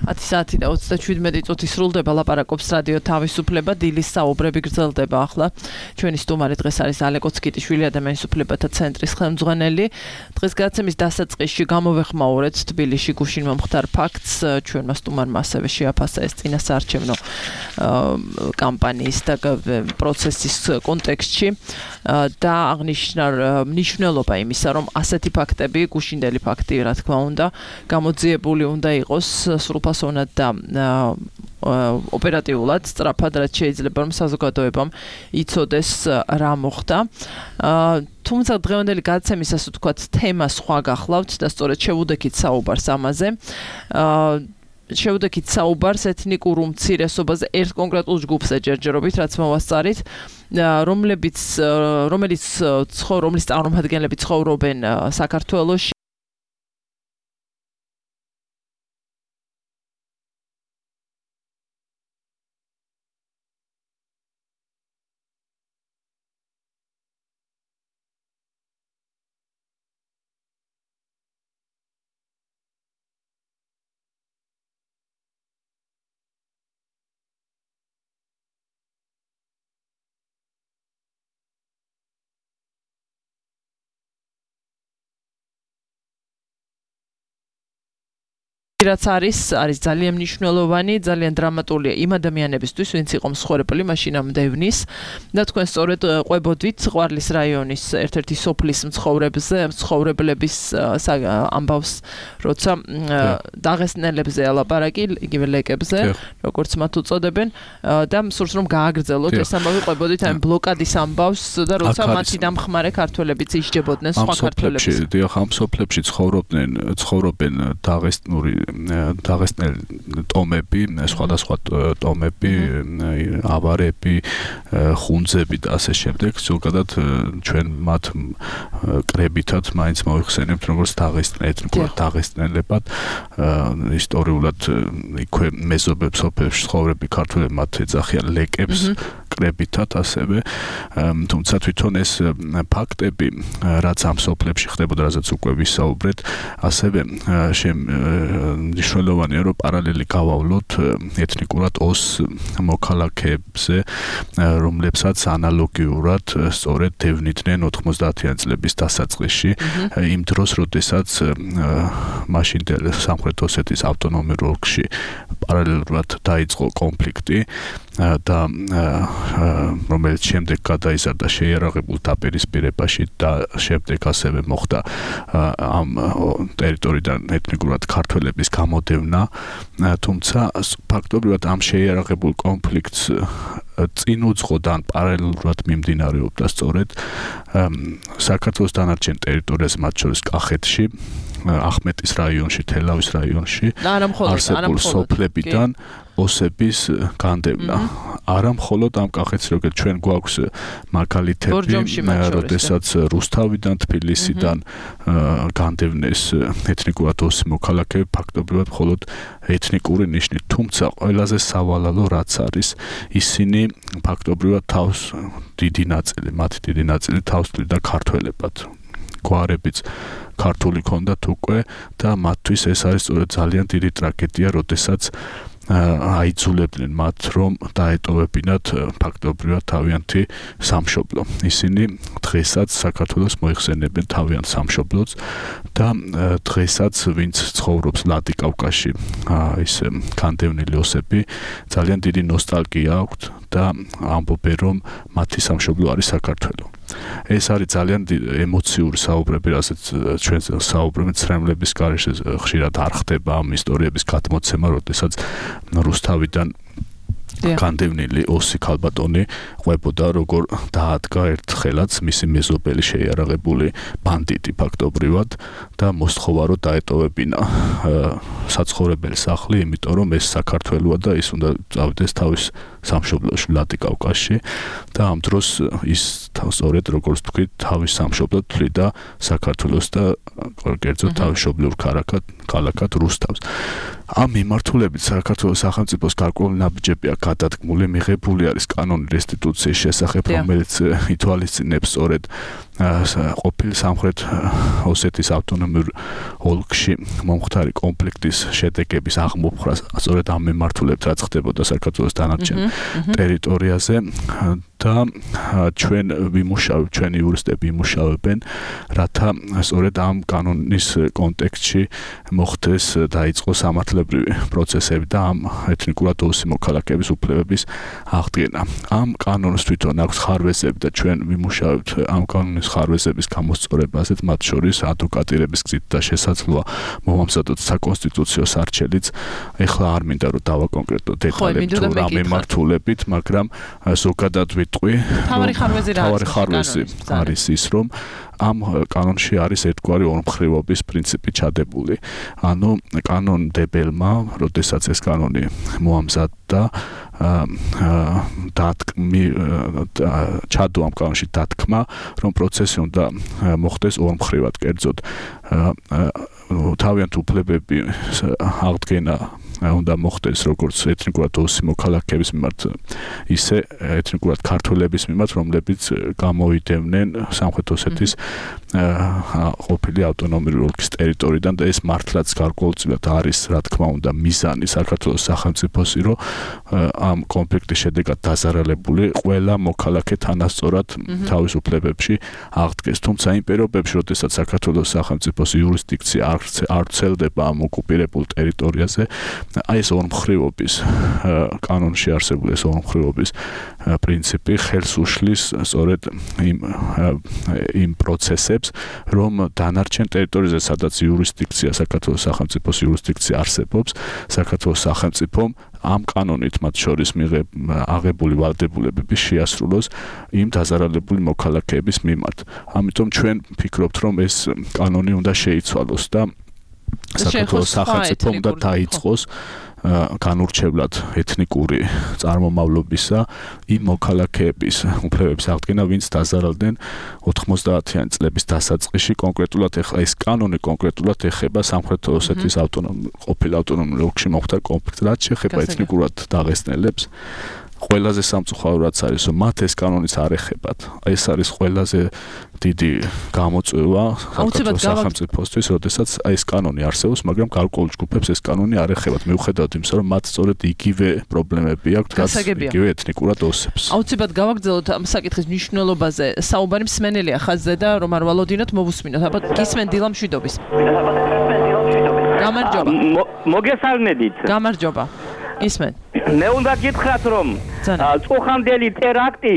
ათი საათი და ოცდაშვიდმეტი წუთი სრულდება ლაპარაკობს რადიო თავისუფლება დილის საუბრები გრძელდება ახლა ჩვენი სტუმარი დღეს არის ალეკო ცკიტიშვილი ადამიანის უფლებათა ცენტრის ხელმძღვანელი დღეს გადაცემის დასაწყისში გამოვეხმაურეთ თბილისში გუშინ მომხდარ ფაქტს ჩვენმა სტუმარმა ასევე შეაფასა ეს წინასაარჩევნო კამპანიის და პროცესის კონტექსტში და აღნიშნა მნიშვნელობა იმისა რომ ასეთი ფაქტები გუშინდელი ფაქტი რა თქმა უნდა გამოძიებული უნდა იყოს სრულფასოვნად და ოპერატიულად სწრაფად რაც შეიძლება რომ საზოგადოებამ იცოდეს რა მოხდა თუმცა დღევანდელი გადაცემის ასე ვთქვათ თემა სხვა გახლავთ და სწორედ შევუდექით საუბარს ამაზე შევუდექით საუბარს ეთნიკურ უმცირესობაზე ერთ კონკრეტულ ჯგუფზე ჯერჯერობით რაც მოვასწარით რომლებიც რომელიც რომლის წარმომადგენლები ცხოვრობენ საქართველოში რაც არის არის ძალიან მნიშვნელოვანი, ძალიან დრამატულია იმ ადამიანებისთვის, ვინც იყო მსხვერპლი მაშინამდე ევნის და თქვენ სწორედ ყვებოდით ყვარლის რაიონის ერთ-ერთი სოფლის მცხოვრებზე, მცხოვრებლების ამბავს, როცა დაღესტნელებზე ალაპარაკი, იგივე ლეკებზე, როგორც მათ უწოდებენ და სურს რომ გააგრძელოთ ეს ამბავი ყვებოდით აი ბლოკადის ამბავს და როცა მათი დამხმარე ქართველებიც ისჯებოდნენ სხვა ქართველებს. ამ სოფლებში, დიახ, ამ სოფლებში ცხოვრობდნენ, ცხოვრობენ დაღესტნური დაღესტნელი ტომები, სხვადასხვა ტომები, ავარები, ხუნძები და ასე შემდეგ, ზოგადად ჩვენ მათ კრებითად მაინც მოიხსენებთ როგორც დაღესტნელად, დაღესტნელებად, ისტორიულად იქვე მეზობებს, სოფლებში ცხოვრები ქართველები მათ ეძახიან ლეკებს კრებითად ასევე, თუმცა თვითონ ეს ფაქტები, რაც ამ სოფლებში ხდებოდა, რასაც უკვე ვისაუბრეთ, ასევე მნიშვნელოვანია, რომ პარალელი გავავლოთ ეთნიკურად ოს მოქალაქეებზე, რომლებსაც ანალოგიურად სწორედ დევნიდნენ ოთხმოცდაათიანი წლების დასაწყისში, იმ დროს, როდესაც მაშინდელ სამხრეთ ოსეთის ავტონომიურ ოლქში პარალელურად დაიწყო კონფლიქტი და რომელიც შემდეგ გადაიზარდა შეიარაღებულ დაპირისპირებაში და შემდეგ ასევე მოხდა ამ ტერიტორიიდან ეთნიკურად ქართველების გამოდევნა, თუმცა ფაქტობრივად ამ შეიარაღებულ კონფლიქტს წინ უძღოდა ან პარალელურად მიმდინარეობდა სწორედ საქართველოს დანარჩენ ტერიტორიაზე, მათ შორის კახეთში, ახმეტის რაიონში, თელავის რაიონში არსებულ სოფლებიდან ოსების განდევნა. არა მხოლოდ ამ კახეთს, როგორც ჩვენ გვაქვს მაგალითები, როდესაც რუსთავიდან, თბილისიდან განდევნეს ეთნიკურად ოსი მოქალაქეები, ფაქტობრივად მხოლოდ ეთნიკური ნიშნით, თუმცა ყველაზე სავალალო რაც არის, ისინი ფაქტობრივად თავს დიდი ნაწილი, მათი დიდი ნაწილი თავს თვლიდა ქართველებად. გვარებიც ქართული ქონდათ უკვე და მათთვის ეს არის სწორედ ძალიან დიდი ტრაგედია, როდესაც აიძულებდნენ მათ, რომ დაეტოვებინათ ფაქტობრივად თავიანთი სამშობლო. ისინი დღესაც საქართველოს მოიხსენებენ თავიანთ სამშობლოც და დღესაც ვინც ცხოვრობს ვლადიკავკაზში, ის განდევნილი ოსები, ძალიან დიდი ნოსტალგია აქვთ და ამბობენ, რომ მათი სამშობლო არის საქართველო. ეს არის ძალიან ემოციური საუბრები, რასაც ჩვენ საუბრობთ ცრემლების გარეშე ხშირად არ ხდება ამ ისტორიების გადმოცემა, როდესაც რუსთავიდან განდევნილი ოსი ქალბატონი ყვებოდა, როგორ დაადგა ერთხელაც მისი მეზობელი შეიარაღებული ბანდიტი ფაქტობრივად და მოსთხოვა, რომ დაეტოვებინა საცხოვრებელი სახლი, იმიტომ რომ ეს საქართველოა და ის უნდა წავიდეს თავის სამშობლოში, ვლადიკავკაზში და ამ დროს ის სწორედ როგორც თქვით, თავის სამშობლოდ თვლიდა საქართველოს და კერძოდ თავისშობლიურ ქალაქად რუსთავს. ამ მიმართულებით საქართველოს სახელმწიფოს გარკვეული ნაბიჯები აქვს გადადგმული, მიღებული არის კანონი რესტიტუციის შესახებ, რომელიც ითვალისწინებს სწორედ ყოფილ სამხრეთ ოსეთის ავტონომიურ ოლქში მომხდარი კონფლიქტის შედეგების აღმოფხვრას, სწორედ ამ მიმართულებით რაც ხდებოდა საქართველოს დანარჩენ ტერიტორიაზე და ჩვენ ვიმუშავებთ, ჩვენი იურისტები იმუშავებენ, რათა სწორედ ამ კანონის კონტექსტში მოხდეს დაიწყოს სამართლებრივი პროცესები და ამ ეთნიკურად ოსი მოქალაქეების უფლებების აღდგენა. ამ კანონს თვითონ აქვს ხარვეზები და ჩვენ ვიმუშავებთ ამ კანონის ხარვეზების გამოსწორებაზე, მათ შორის ადვოკატირების გზით და შესაძლოა მომამზადოთ საკონსტიტუციო სარჩელიც. ეხლა არ მინდა რომ დავაკონკრეტო დეტალები თუ რა მიმართულებით, მაგრამ ზოგადად ვიტყვი, თავარი ხარვეზი რა არის? თავარი ხარვეზი არის ის, რომ ამ კანონში არის ერთგვარი ორმხრივობის პრინციპი ჩადებული. ანუ კანონმდებელმა, როდესაც ეს კანონი მოამზადდა, დათქმი ჩადო ამ კანონში დათქმა, რომ პროცესი უნდა მოხდეს ორმხრივად, კერძოდ თავიანთ უფლებები აღდგენა უნდა მოხდეს როგორც ეთნიკურად ოსი მოქალაქეების მიმართ, ისე ეთნიკურად ქართველების მიმართ, რომლებიც გამოიდევნენ სამხრეთ ოსეთის ყოფილი ავტონომიური ოლქის ტერიტორიიდან და ეს მართლაც გარკვეულწილად არის, რა თქმა უნდა, მიზანი საქართველოს სახელმწიფოსი, რომ ამ კონფლიქტის შედეგად დაზარალებული ყველა მოქალაქე თანასწორად თავის უფლებებში აღდგეს. თუმცა იმ პირობებში, როდესაც საქართველოს სახელმწიფოს იურისდიქცია არ ვრცელდება ამ ოკუპირებულ ტერიტორიაზე, აი ეს ორმხრივობის კანონში არსებული ეს ორმხრივობის პრინციპი ხელს უშლის სწორედ იმ იმ პროცესებს, რომ დანარჩენ ტერიტორიაზე, სადაც იურისდიქცია, საქართველოს სახელმწიფოს იურისდიქცია არსებობს, საქართველოს სახელმწიფომ ამ კანონით მათ შორის აღებული ვალდებულებები შეასრულოს იმ დაზარალებული მოქალაქეების მიმართ. ამიტომ ჩვენ ვფიქრობთ, რომ ეს კანონი უნდა შეიცვალოს და საქართველოს სახელმწიფო უნდა დაიწყოს განურჩევლად ეთნიკური წარმომავლობისა იმ მოქალაქეების უფლებების აღდგენა, ვინც დაზარალდნენ ოთხმოცდაათიანი წლების დასაწყისში. კონკრეტულად ეხლა ეს კანონი კონკრეტულად ეხება სამხრეთ ოსეთის ავტონომურ ყოფილ ავტონომურ ოლქში მოხდა კონფლიქტს, რაც შეეხება ეთნიკურად დაღესტნელებს. ყველაზე სამწუხაროდ არის, რომ მათ ეს კანონიც არ ეხებათ. ეს არის ყველაზე დიდი გამოწვევა საქართველოს სახელმწიფოსთვის, როდესაც ეს კანონი არსებობს, მაგრამ გარკვეულ ჯგუფებს ეს კანონი არ ეხებათ, მიუხედავად იმისა, რომ მათ სწორედ იგივე პრობლემები აქვთ, რაც იგივე ეთნიკურად ოსებს. აუცილებლად გავაგრძელოთ ამ საკითხის მნიშვნელობაზე. საუბარი მსმენელია ხაზზე და რომ არ ვალოდინოთ, მოვუსმინოთ. აბა გისმენ დილა მშვიდობის. გამარჯობა. მოგესალმებით. გამარჯობა. ისმენ. მე უნდა გითხრათ, რომ წუხამდელი ტერაქტი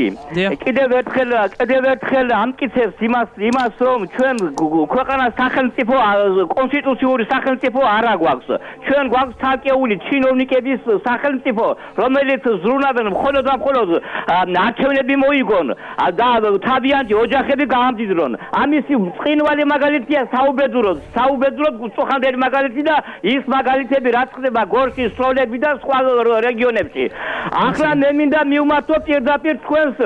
კიდევ ერთხელ კიდევ ერთხელ ამტკიცებს იმას იმას რომ ჩვენ ქვეყანას სახელმწიფო კონსტიტუციური სახელმწიფო არ აგვაქვს. ჩვენ გვაქვს თაკეული ჩინოვნიკების სახელმწიფო, რომელიც ზრუნავენ მხოლოდ და მხოლოდ არჩევნები მოიგონ და თავიანთი ოჯახები გაამდიდრონ. ამისი წინვალი მაგალითია საუბედუროდ, საუბედუროდ წუხამდელი მაგალითი და ის მაგალითები რაც ხდება გორკის სროლები და სხვა რეგიონებში. ახლა მე მინდა მივმართო პირდაპირ თქვენს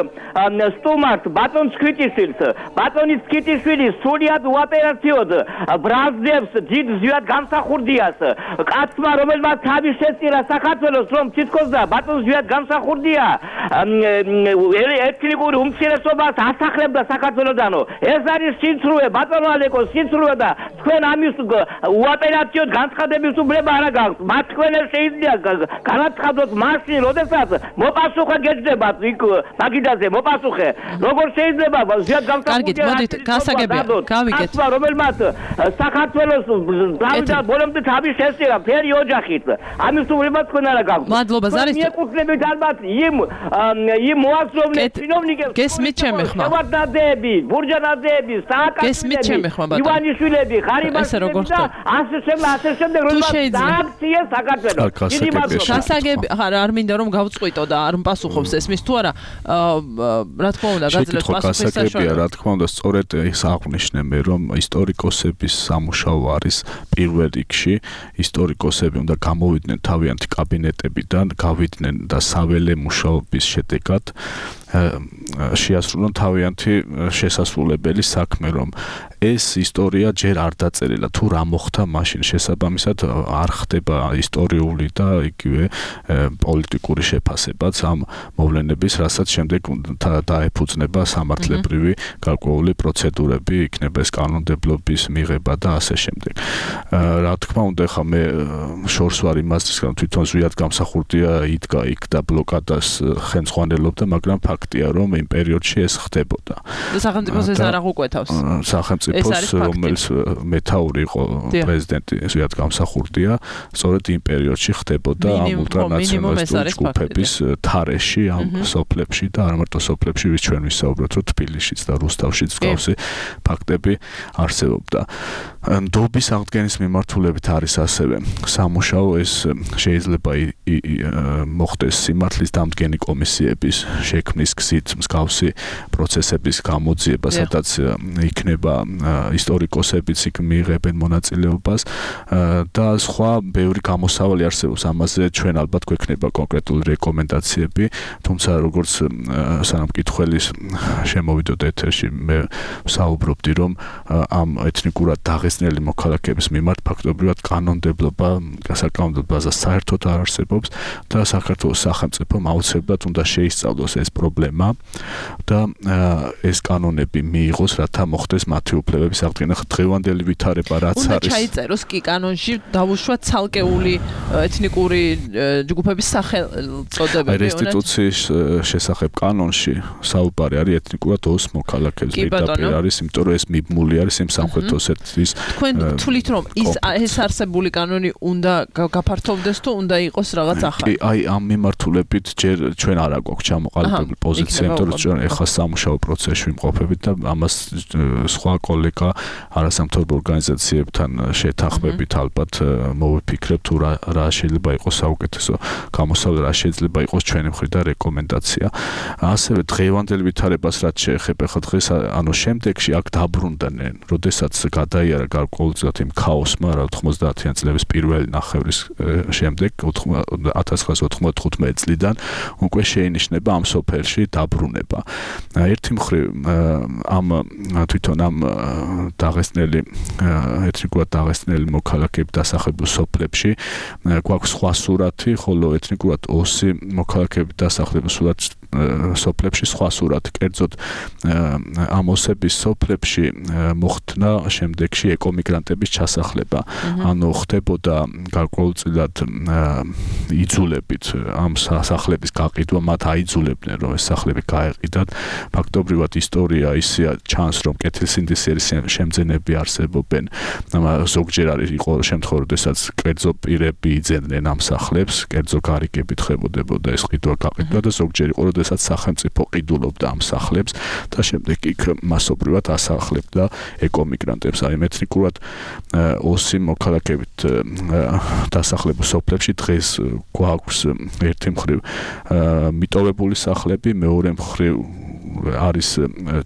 სტუმართ ბატონს ქვითიშვილს. ბატონის ქვითიშვილი სრულიად უოპერაციოდ ბრაზდებს დიდ ზვიად გამსახურდიას. კაცმა, რომელმაც თავი შეწირა საქართველოს, რომ თითქოს და ბატონს ზვიად გამსახურდია ეთნიკური უმცირესობას ასახლებდა საქართველოსდანო. ეს არის სიცრუე, ბატონო ალეკო, სიცრუე და თქვენ ამის უოპერაციოდ განცხადების უფლება არ გაქვთ. მათ თქვენ შეიძლება განაცხადოთ მაშინ, როდესაც მოპასუხე გეძდებათ იქ მაგიდაზე მოპასუხე. როგორ შეიძლება ზიად გამსახურდია? კარგით, მოდით, გასაგებია, გავიგეთ. კაცმა, რომელმაც საქართველოს დავიდა ბოლომდე თავი შესწირა ფერი ოჯახით. ამის უფლება თქვენ არ გაქვთ. მადლობა, ზარის. მიეკუთვნებით ალბათ იმ იმ მოაზროვნე ჩინოვნიკებს. გესმით ჩემი ხმა. შევარდნაძეები, ბურჯანაძეები, სააკაშვილები, ივანიშვილები, ხარიბაშვილები და ასე შემდეგ, ასე შემდეგ, რომელმაც დააქციეს საქართველოს. დიდი მადლობა. გასაგები, არ მინდა რომ გავწყვიტო და არ მპასუხობს ეს მის თუ არა, რა თქმა უნდა, გაძლევს პასუხის საშუალება. რა თქმა უნდა, სწორედ ის აღნიშნე მე, რომ ისტორიკოსების სამუშაო არის პირველ რიგში, ისტორიკოსები უნდა გამოვიდნენ თავიანთი კაბინეტებიდან, გავიდნენ და საველე მუშაობის შედეგად შეასრულონ თავიანთი შესასრულებელი საქმე, რომ ეს ისტორია ჯერ არ დაწერილა, თუ რა მოხდა მაშინ, შესაბამისად არ ხდება ისტორიული და იგივე პოლიტიკური შეფასებაც ამ მოვლენების, რასაც შემდეგ დაეფუძნება სამართლებრივი გარკვეული პროცედურები, იქნება ეს კანონმდებლობის მიღება და ასე შემდეგ. რა თქმა უნდა, ხა მე შორს ვარ იმას, რომ თვითონ ზვიად გამსახურდია იდგა იქ და ბლოკადას ხელმძღვანელობდა, მაგრამ ფაქტია, რომ იმ პერიოდში ეს ხდებოდა. და სახელმწიფოს ეს არ აღუკვეთავს. სახელმწიფოს, რომელიც მეთაური იყო პრეზიდენტი ზვიად გამსახურდია, სწორედ იმ პერიოდში ხდებოდა ამ ულტრანაციონალისტური ჯგუფების თარეში, ამ სოფლებში და არ მარტო სოფლებში, ვის ჩვენ ვისაუბროთ, რომ თბილისშიც და რუსთავშიც მსგავსი ფაქტები არსებობდა. ნდობის აღდგენის მიმართულებით არის ასევე სამუშაო, ეს შეიძლება მოხდეს სიმართლის დამდგენი კომისიების შექმნის გზით, მსგავსი პროცესების გამოძიება, სადაც იქნება ისტორიკოსებიც იქ მიიღებენ მონაწილეობას და სხვა ბევრი გამოსავალი არსებობს. ამაზე ჩვენ ალბათ გვექნება კონკრეტული რეკომენდაციები, თუმცა როგორც სანამ კითხველის შემოვიდოდ ეთერში, მე ვსაუბრობდი, რომ ამ ეთნიკურად დაღესტნელი მოქალაქეების მიმართ ფაქტობრივად კანონმდებლობა, საკანონმდებლო ბაზა საერთოდ არ არსებობს და საქართველოს სახელმწიფომ აუცილებლად უნდა შეისწავლოს ეს პრობლემა და ეს კანონები მიიღოს, რათა მოხდეს მათი უფლებების აღდგენა. დღევანდელი ვითარება რაც არის. უნდა ჩაიწეროს კი კანონში, დავუშვათ ცალკეული ეთნიკური ჯგუფების სახელწოდებები. რესტიტუციის შესახებ კანონში საუბარი არის ეთნიკურად ოს მოქალაქეებს. პირდაპირ არის, იმიტომ რომ ეს მიბმული არის იმ სამხრეთ ოსეთის. თქვენ თulit რომ ის ეს არსებული კანონი უნდა გაფართოვდეს თუ უნდა იყოს რაღაც ახალი? კი, აი ამ მიმართულებით ჯერ ჩვენ არ აგვაქვს ჩამოყალიბებული პოზიცია, იმიტომ რომ ჩვენ ეხლა სამუშაო პროცესში ვიმყოფებით და ამას სხვა კოლეგა არასამთავრობო ორგანიზაციებთან შეთანხმებით ალბათ მოვიფიქრებთ თუ რა შეიძლება იყოს საუკეთესო გამოსავალი, რა შეიძლება იყოს ჩვენი მხრიდან და რეკომენდაცია. ასევე დღევანდელ ვითარებას რაც შეეხება ხა დღეს, ანუ შემდეგში აქ დაბრუნდნენ, როდესაც გადაიარა გარკვეულწილად იმ ქაოსმა, რა ოთხმოცდაათიან წლების პირველი ნახევრის შემდეგ ათას ცხრაასი ოთხმოცდათხუთმეტი წლიდან უკვე შეინიშნება ამ სოფელში დაბრუნება. ერთი მხრივ ამ თვითონ ამ დაღესტნელი ეთნიკურად დაღესტნელი მოქალაქეების დასახლებულ სოფლებში გვაქვს სხვა სურათი, ხოლო ეთნიკურად ოსი მოქალაქეების დასახლებულ სოფლებში სხვა სურათი. კერძოდ ამ ოსების სოფლებში მოხდნა შემდეგში ეკომიგრანტების ჩასახლება. ანუ ხდებოდა გარკვეულწილად იძულებით ამ სახლების გაყიდვა, მათ აიძულებდნენ რომ ეს სახლები გაეყიდათ. ფაქტობრივად ისტორია ისეა ჩანს რომ კეთილსინდისიერი შემძენები არსებობენ. ზოგჯერ არის იყო შემთხვევა, როდესაც კერძო პირები იძენდნენ ამ სახლებს, კერძო გარიგებით ხებოდებოდა ეს ყიდვა გაყიდვა და ზოგჯერ იყო, როდესაც სახელმწიფო ყიდულობდა ამ სახლებს და შემდეგ იქ მასობრივად ასახლებდა ეკომიგრანტებს. აი ეთნიკურად ოსი მოქალაქეებით დასახლებულ სოფლებში დღეს გვაქვს ერთი მხრივ მიტოვებული სახლები, მეორე მხრივ არის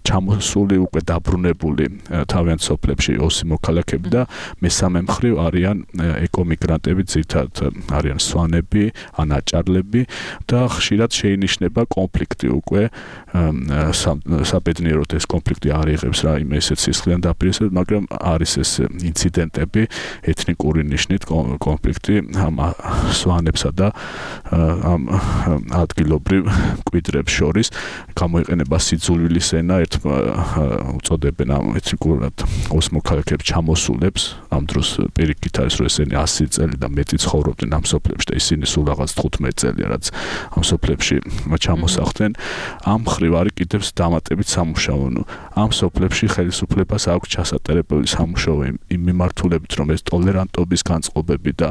ჩამოსული უკვე დაბრუნებული თავიანთ სოფლებში ოსი მოქალაქეები და მესამე მხრივ არიან ეკომიგრანტები, ძირითადად არიან სვანები ან აჭარლები და ხშირად შეინიშნება კონფლიქტი უკვე საბედნიეროდ ეს კონფლიქტი არ იღებს რაიმე ესეთ სისხლიან დაპირისპირებას, მაგრამ არის ეს ინციდენტები ეთნიკური ნიშნით კონფლიქტი ამ სვანებსა და ამ ადგილობრივ მკვიდრებს შორის გამოიყენება სიძულვილის ენა, ერთ უწოდებენ ამ ეთნიკურად ოს მოქალაქეებს ჩამოსულებს, ამ დროს პირიქით არის რომ ესენი ასი წელი და მეტი ცხოვრობდნენ ამ სოფლებში და ისინი სულ რაღაც თხუთმეტი წელი რაც ამ სოფლებში ჩამოსახდნენ. ამ მხრივ არის კიდევ დამატებით სამუშაო. ამ სოფლებში ხელისუფლებას აქვს ჩასატარებელი სამუშაო იმ მიმართულებით, რომ ეს ტოლერანტობის განწყობები და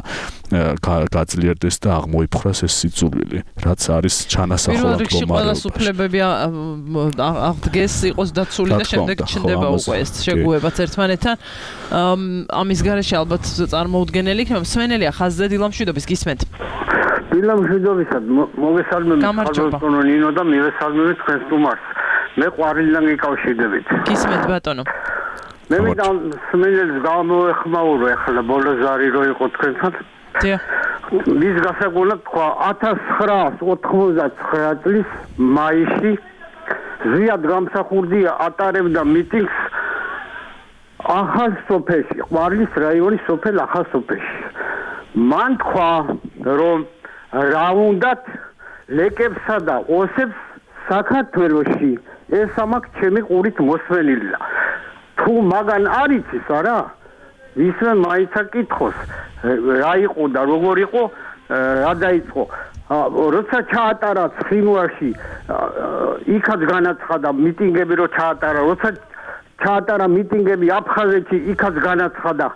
გაძლიერდეს და აღმოიფხვრას ეს სიძულვილი, რაც არის ჩანასახულად მდგომარეობაში. ყველა სოფლებები აღდგეს, იყოს დაცული და შემდეგ ჩნდება უკვე ეს შეგუებაც ერთმანეთთან. ამის გარეშე ალბათ წარმოუდგენელი იქნება. მსმენელია ხაზზე დილამშვიდობის გისმენთ. დილამშვიდობისად მოგესალმებით ხალხო ნინო და მივესალმებით თქვენს სტუმარს. მე ყვარლიდან გიკავშირდებით. გისმენთ ბატონო. მე მინდა მსმენელს გამოეხმაურო ახლა ბოლოზარი რო იყო თქვენთან. დიახ. მის გასაგონად თქვა ათას ცხრაასი ოცდაათი წლის მაისში ზიად გამსახურდია ატარებდა მიტინგს ახალ სოფელში, ყვარლის რაიონის სოფელ ახალ სოფელში. მან თქვა რომ რა უნდათ ლეკებსა და ოსებს საქართველოში ეს ამაკ ჩემი ყურით მოსვენილა. თუ მაგან არ იცის არა ისე მაინც აკითხოს რა იყო და როგორ იყო რა დაიწყო როცა ჩაატარა ცხინვალში იქაც განაცხადა მიტინგები რო ჩაატარა როცა ჩაატარა მიტინგები აფხაზეთში იქაც განაცხადა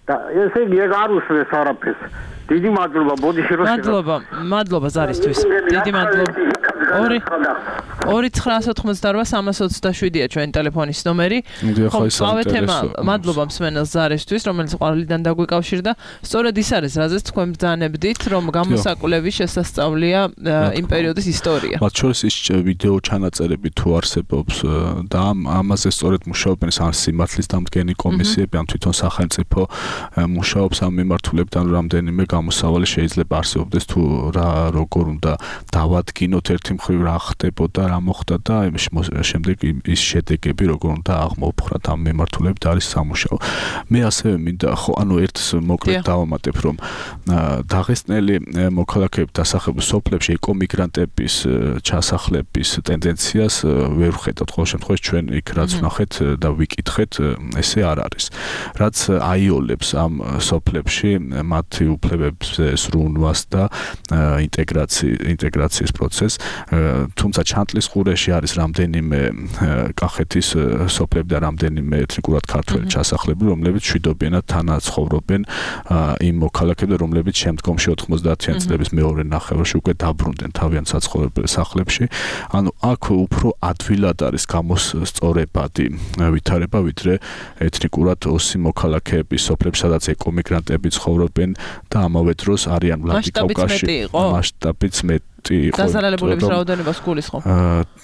და ესე იგი ეგ არ უსვეს არაფერს. დიდი მადლობა ბოდიში რო მადლობა მადლობა ზარისთვის დიდი მადლობა ორი ორი ცხრაასი ოცდაოთხი სამას ოცდაშვიდია ჩვენი ტელეფონის ნომერი. ხო, სხვა თემა მადლობა მსმენელს ზარისთვის, რომელიც ყვარლიდან დაგვიკავშირდა. სწორედ ის არის, რაზეც თქვენ ბრძანებდით, რომ გამოსაკვლევი შესასწავლია იმ პერიოდის ისტორია. მათ შორის ის ვიდეო ჩანაწერები თუ არსებობს და ამაზე სწორედ მუშაობენ ამ სიმართლის დამდგენი კომისიები, ამ თვითონ სახელმწიფო მუშაობს ამ მიმართულებით, ანუ რამდენიმე გამოსავალი შეიძლება არსებობდეს თუ რა როგორ უნდა დავადგინოთ ერთი მხრივ რა ხდებოდა, რა მოხდა და შემდეგ ის შედეგები როგორ უნდა აღმოფხრათ ამ მიმართულებით არის სამუშაო. მე ასევე მინდა ხო ანუ ერთს მოკლედ დავამატებ რომ დაღესტნელი მოქალაქეების დასახლებულ სოფლებში ეკომიგრანტების ჩასახლების ტენდენციას ვერ ვხედავთ. ყოველ შემთხვევაში ჩვენ იქ რაც ვნახეთ და ვიკითხეთ ესე არ არის. რაც აიოლებს ამ სოფლებში მათი უფლებებზე სრულვას და ინტეგრაციის პროცესს, თუმცა ჩანტლის ყურეში არის რამდენიმე კახეთის სოფლები და რამდენიმე ეთნიკურად ქართველი ჩასახლები, რომლებიც მშვიდობიანად თანაცხოვრობენ იმ მოქალაქეებს, რომლებიც შემდგომში ოთხმოცდაათიან წლების მეორე ნახევარში უკვე დაბრუნდნენ თავიანთ საცხოვრებელ სახლებში. ანუ აქ უფრო ადვილად არის გამოსწორებადი ვითარება, ვიდრე ეთნიკურად ოსი მოქალაქეების სოფლებში, სადაც ეკომიგრანტები ცხოვრობენ და ამავე დროს არიან ვლადიკავკაზში მასშტაბიც მეტ მეტი იყო. დასალალებულების რაოდენობას გულისხმობ.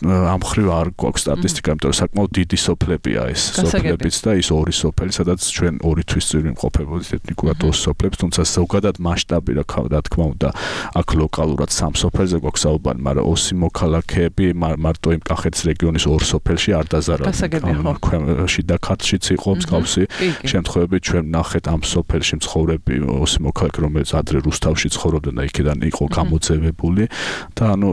ამ მხრივ არ გვაქვს სტატისტიკა, იმიტომ რომ საკმაოდ დიდი სოფლებია ეს სოფლებიც და ის ორი სოფელი, სადაც ჩვენ ორი თვის წინ ვიმყოფებოდით ეთნიკურად ოს სოფლებს, თუმცა ზოგადად მასშტაბი რა თქმა უნდა, აქ ლოკალურად სამ სოფელზე გვაქვს საუბარი, მაგრამ ოსი მოქალაქეები მარტო იმ კახეთის რეგიონის ორ სოფელში არ დაზარალდნენ. შიდა ქართლშიც იყო მსგავსი შემთხვევები, ჩვენ ნახეთ ამ სოფელში მცხოვრები ოსი მოქალაქე, რომელიც ადრე რუსთავში ცხოვრობდნენ და იქიდან იყო გამოძევებული და ანუ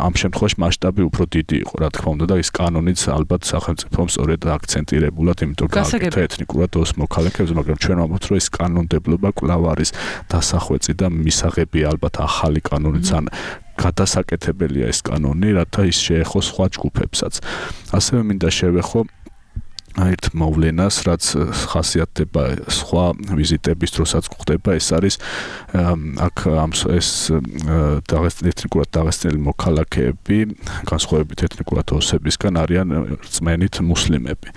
ამ შემთხვევაში მასშტაბი უფრო დიდი იყო, რა თქმა უნდა და ის კანონიც ალბათ სახელმწიფომ სწორედ აქცენტირებულად, იმიტომ რომ გააკეთა ეთნიკურად ოს მოქალაქეებს, მაგრამ ჩვენ ვამბობთ, რომ ეს კანონმდებლობა კვლავ არის დასახვეწი და მისაღები ალბათ ახალი კანონიც ან გადასაკეთებელია ეს კანონი, რათა ის შეეხოს სხვა ჯგუფებსაც. ასევე მინდა შევეხო ერთ მოვლენას, რაც ხასიათდება სხვა ვიზიტების დროსაც გვხდება, ეს არის აქ ამ ეს ეთნიკურად დაღესტნელი მოქალაქეები, განსხვავებით ეთნიკურად ოსებისგან არიან რწმენით მუსლიმები.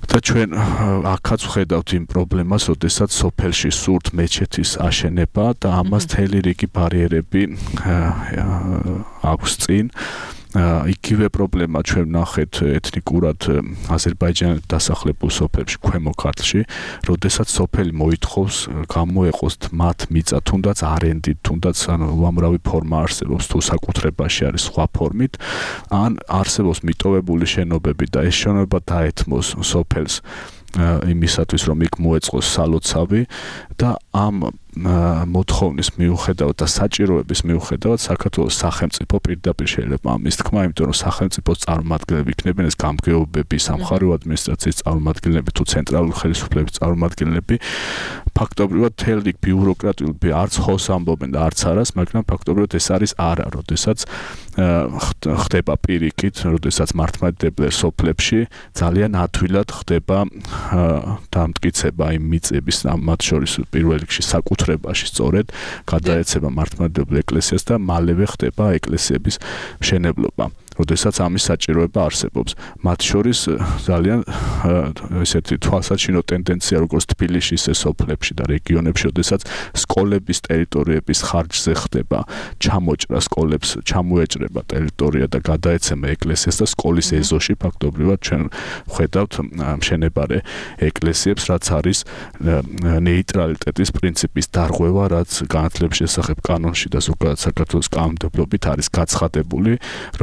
და ჩვენ აქაც ვხედავთ იმ პრობლემას, როდესაც სოფელში სურთ მეჩეთის აშენება და ამას მთელი რიგი ბარიერები აქვს წინ. იგივე პრობლემა ჩვენ ვნახეთ ეთნიკურად აზერბაიჯანით დასახლებულ სოფლებში, ქვემო ქართლში, როდესაც სოფელი მოითხოვს გამოეყოს მათ მიწა, თუნდაც არენდით, თუნდაც ანუ უამრავი ფორმა არსებობს, თუ საკუთრებაში არის სხვა ფორმით, ან არსებობს მიტოვებული შენობები და ეს შენობა დაეთმოს სოფელს იმისათვის, რომ იქ მოეწყოს სალოცავი და ამ მოთხოვნის მიუხედავად და საჭიროების მიუხედავად საქართველოს სახელმწიფო პირდაპირ შეიძლება ამის თქმა, იმიტომ რომ სახელმწიფოს წარმომადგენლები იქნებიან ეს გამგეობები, სამხარეო ადმინისტრაციის წარმომადგენლები თუ ცენტრალური ხელისუფლების წარმომადგენლები, ფაქტობრივად თელი ბიუროკრატიული არც ხოს ამბობენ და არც არას, მაგრამ ფაქტობრივად ეს არის არა, როდესაც ხდება პირიქით, როდესაც მართლმადიდებელ სოფლებში ძალიან ადვილად ხდება დამტკიცება იმ მიწების, მათ შორის პირველ რიგში საკუთრებაში სწორედ გადაეცემა მართლმადიდებელ ეკლესიას და მალევე ხდება ეკლესიების მშენებლობა. როდესაც ამის საჭიროება არსებობს. მათ შორის ძალიან ესეთი თვალსაჩინო ტენდენცია როგორც თბილისში, ისე სოფლებში და რეგიონებში, როდესაც სკოლების ტერიტორიების ხარჯზე ხდება ჩამოჭრა სკოლებს, ჩამოეჭრება ტერიტორია და გადაეცემა ეკლესიას და სკოლის ეზოში ფაქტობრივად ჩვენ ვხედავთ მშენებარე ეკლესიებს, რაც არის ნეიტრალიტეტის პრინციპის დარღვევა, რაც განათლების შესახებ კანონში და ზოგადად საქართველოს კანონმდებლობით არის გაცხადებული,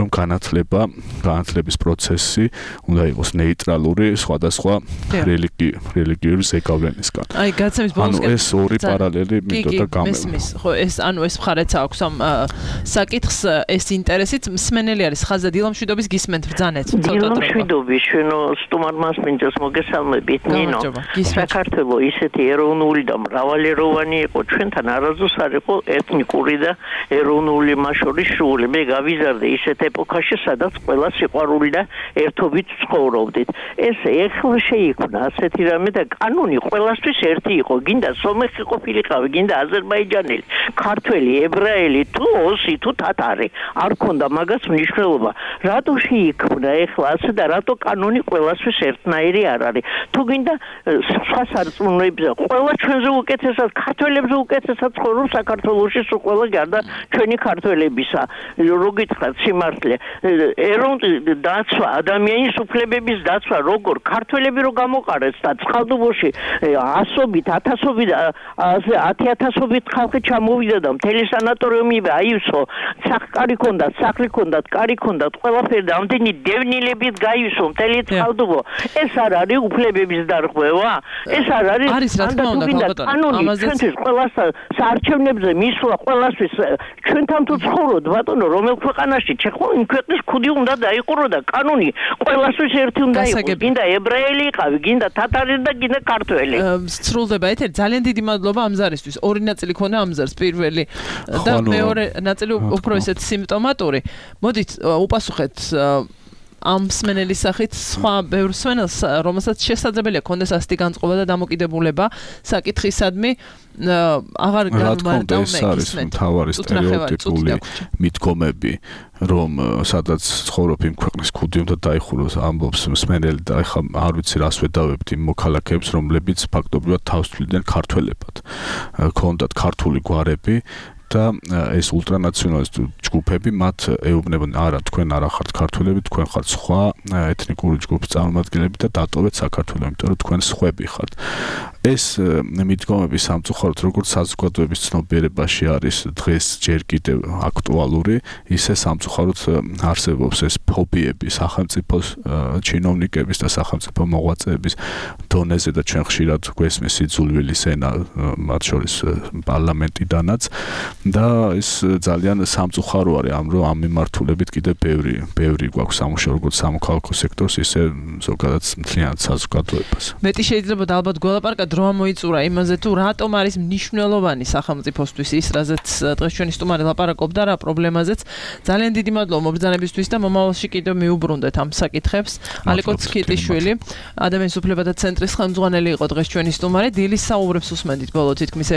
რომ განათლება განათლების პროცესი უნდა იყოს ნეიტრალური სხვადასხვა რელიგიური ზეგავლენისგან. აი, გაცემის ბოლოს ანუ ეს ორი პარალელი მინდოდა გამევა. მესმის, ხო, ეს ანუ ეს მხარეც აქვს ამ საკითხს, ეს ინტერესით მსმენელი არის ხაზად დილამშვიდობის გისმენთ ბრძანეთ. დილამშვიდობის ჩვენო სტუმარს მინდა მოგესალმებით, ნინო. საქართველოს ისეთი ეროვნული და მრავალეროვანი იყო, ჩვენთან არასდროს არ იყო ეთნიკური და ეროვნული მასშტაბის სრული. მე გავიზარდე ისეთ ეპოქაში, სადაც ყველა სიყვარული და ერთობით ცხოვრობდით. ეს ეხლა შეიქმნა ასეთი რამე და კანონი ყველასთვის ერთი იყო. გინდა სომეხი ყოფილიყავი, გინდა აზერბაიჯანელი, ქართველი, ებრაელი, თუ ოსი, თუ თათარი. არ ქონდა მაგას მნიშვნელობა. რატო შეიქმნა ეხლა ასე და რატო კანონი ყველასთვის ერთნაირი არ არის? თუ გინდა სხვა სარწმუნოებზე, ყველა ჩვენზე უკეთესად, ქართველებზე უკეთესად ცხოვრობს საქართველოში, სულ ყველა გარდა ჩვენი ქართველებისა. რო გითხრათ სიმართლე, ეროვნული დაცვა, ადამიანის უფლებების დაცვა, როგორ ქართველები რო გამოყარეს და წყალდუბოში ასობით, ათასობით, ათი ათასობით ხალხი ჩამოვიდა და მთელი სანატორიუმი აივსო, სახკარი ქონდათ, სახლი ქონდათ, კარი ქონდათ, ყველაფერი და ამდენი დევნილებით გაივსო მთელი წყალდუბო. ეს არ არის უფლებების დარღვევა? ეს არ არის არის რა თქმა უნდა, კანონი ჩვენთვის ყველას საარჩევნებზე მისვლა ყველასთვის ჩვენთან თუ ცხოვრობთ ბატონო, რომელ ქვეყანაში ჩეხო იმ ქვეყნის ქუდი უნდა დაიყურო და კანონი ყველასთვის ერთი უნდა იყოს. გინდა ებრაელი იყავი, გინდა თათარი და გინდა ქართველი. სრულდება ეთერი. ძალიან დიდი მადლობა ამ ზარისთვის. ორი ნაწილი ქონა ამ ზარს, პირველი და მეორე ნაწილი უფრო ესეთ სიმპტომატური. მოდით უპასუხეთ ამ მსმენელის სახით სხვა ბევრ მსმენელს, რომელსაც შესაძლებელია კონდეს ასეთი განწყობა და დამოკიდებულება საკითხისადმი, აღარ გამარტავ მე ის მთავარი სტერეოტიპული მიდგომები, რომ სადაც ცხოვრობ იმ ქვეყნის ქუდი უნდა დაიხუროს, ამბობს მსმენელი და ეხლა არ ვიცი რას ვედავებთ იმ მოქალაქეებს, რომლებიც ფაქტობრივად თავს თვლიდნენ ქართველებად. ქონდათ ქართული გვარები და ეს ულტრანაციონალისტ ჯგუფები მათ ეუბნებიან არა თქვენ არ ხართ ქართველები თქვენ ხართ სხვა ეთნიკური ჯგუფის წარმომადგენლები და დატოვეთ საქართველო იმიტომ რომ თქვენ სხვები ხართ ეს მიდგომები სამწუხაროდ როგორც საზოგადოების ცნობიერებაში არის დღეს ჯერ კიდევ აქტუალური ისე სამწუხაროდ არსებობს ეს ფობიები სახელმწიფოს ჩინოვნიკების და სახელმწიფო მოღვაწეების დონეზე და ჩვენ ხშირად გვესმის სიძულვილის ენა მათ შორის პარლამენტიდანაც და ეს ძალიან სამწუხარო არის ამ რომ ამ მიმართულებით კიდევ ბევრი ბევრი გვაქვს სამუშაო როგორც სამოქალაქო სექტორს ისე ზოგადად მთლიანად საზოგადოებას მეტი შეიძლება ალბათ გველაპარაკოთ რომ მოიწურა იმაზე თუ რატომ არის მნიშვნელოვანი სახელმწიფოსთვის ის რაზეც დღეს ჩვენი სტუმარი ლაპარაკობდა რა პრობლემაზეც ძალიან დიდი მადლობა მობრძანებისთვის და მომავალში კიდევ მიუბრუნდეთ ამ საკითხებს ალეკო ცქიტიშვილი ადამიანის უფლებათა ცენტრის ხელმძღვანელი იყო დღეს ჩვენი სტუმარი დილის საუბრებს უსმენთ ბოლო თითქმის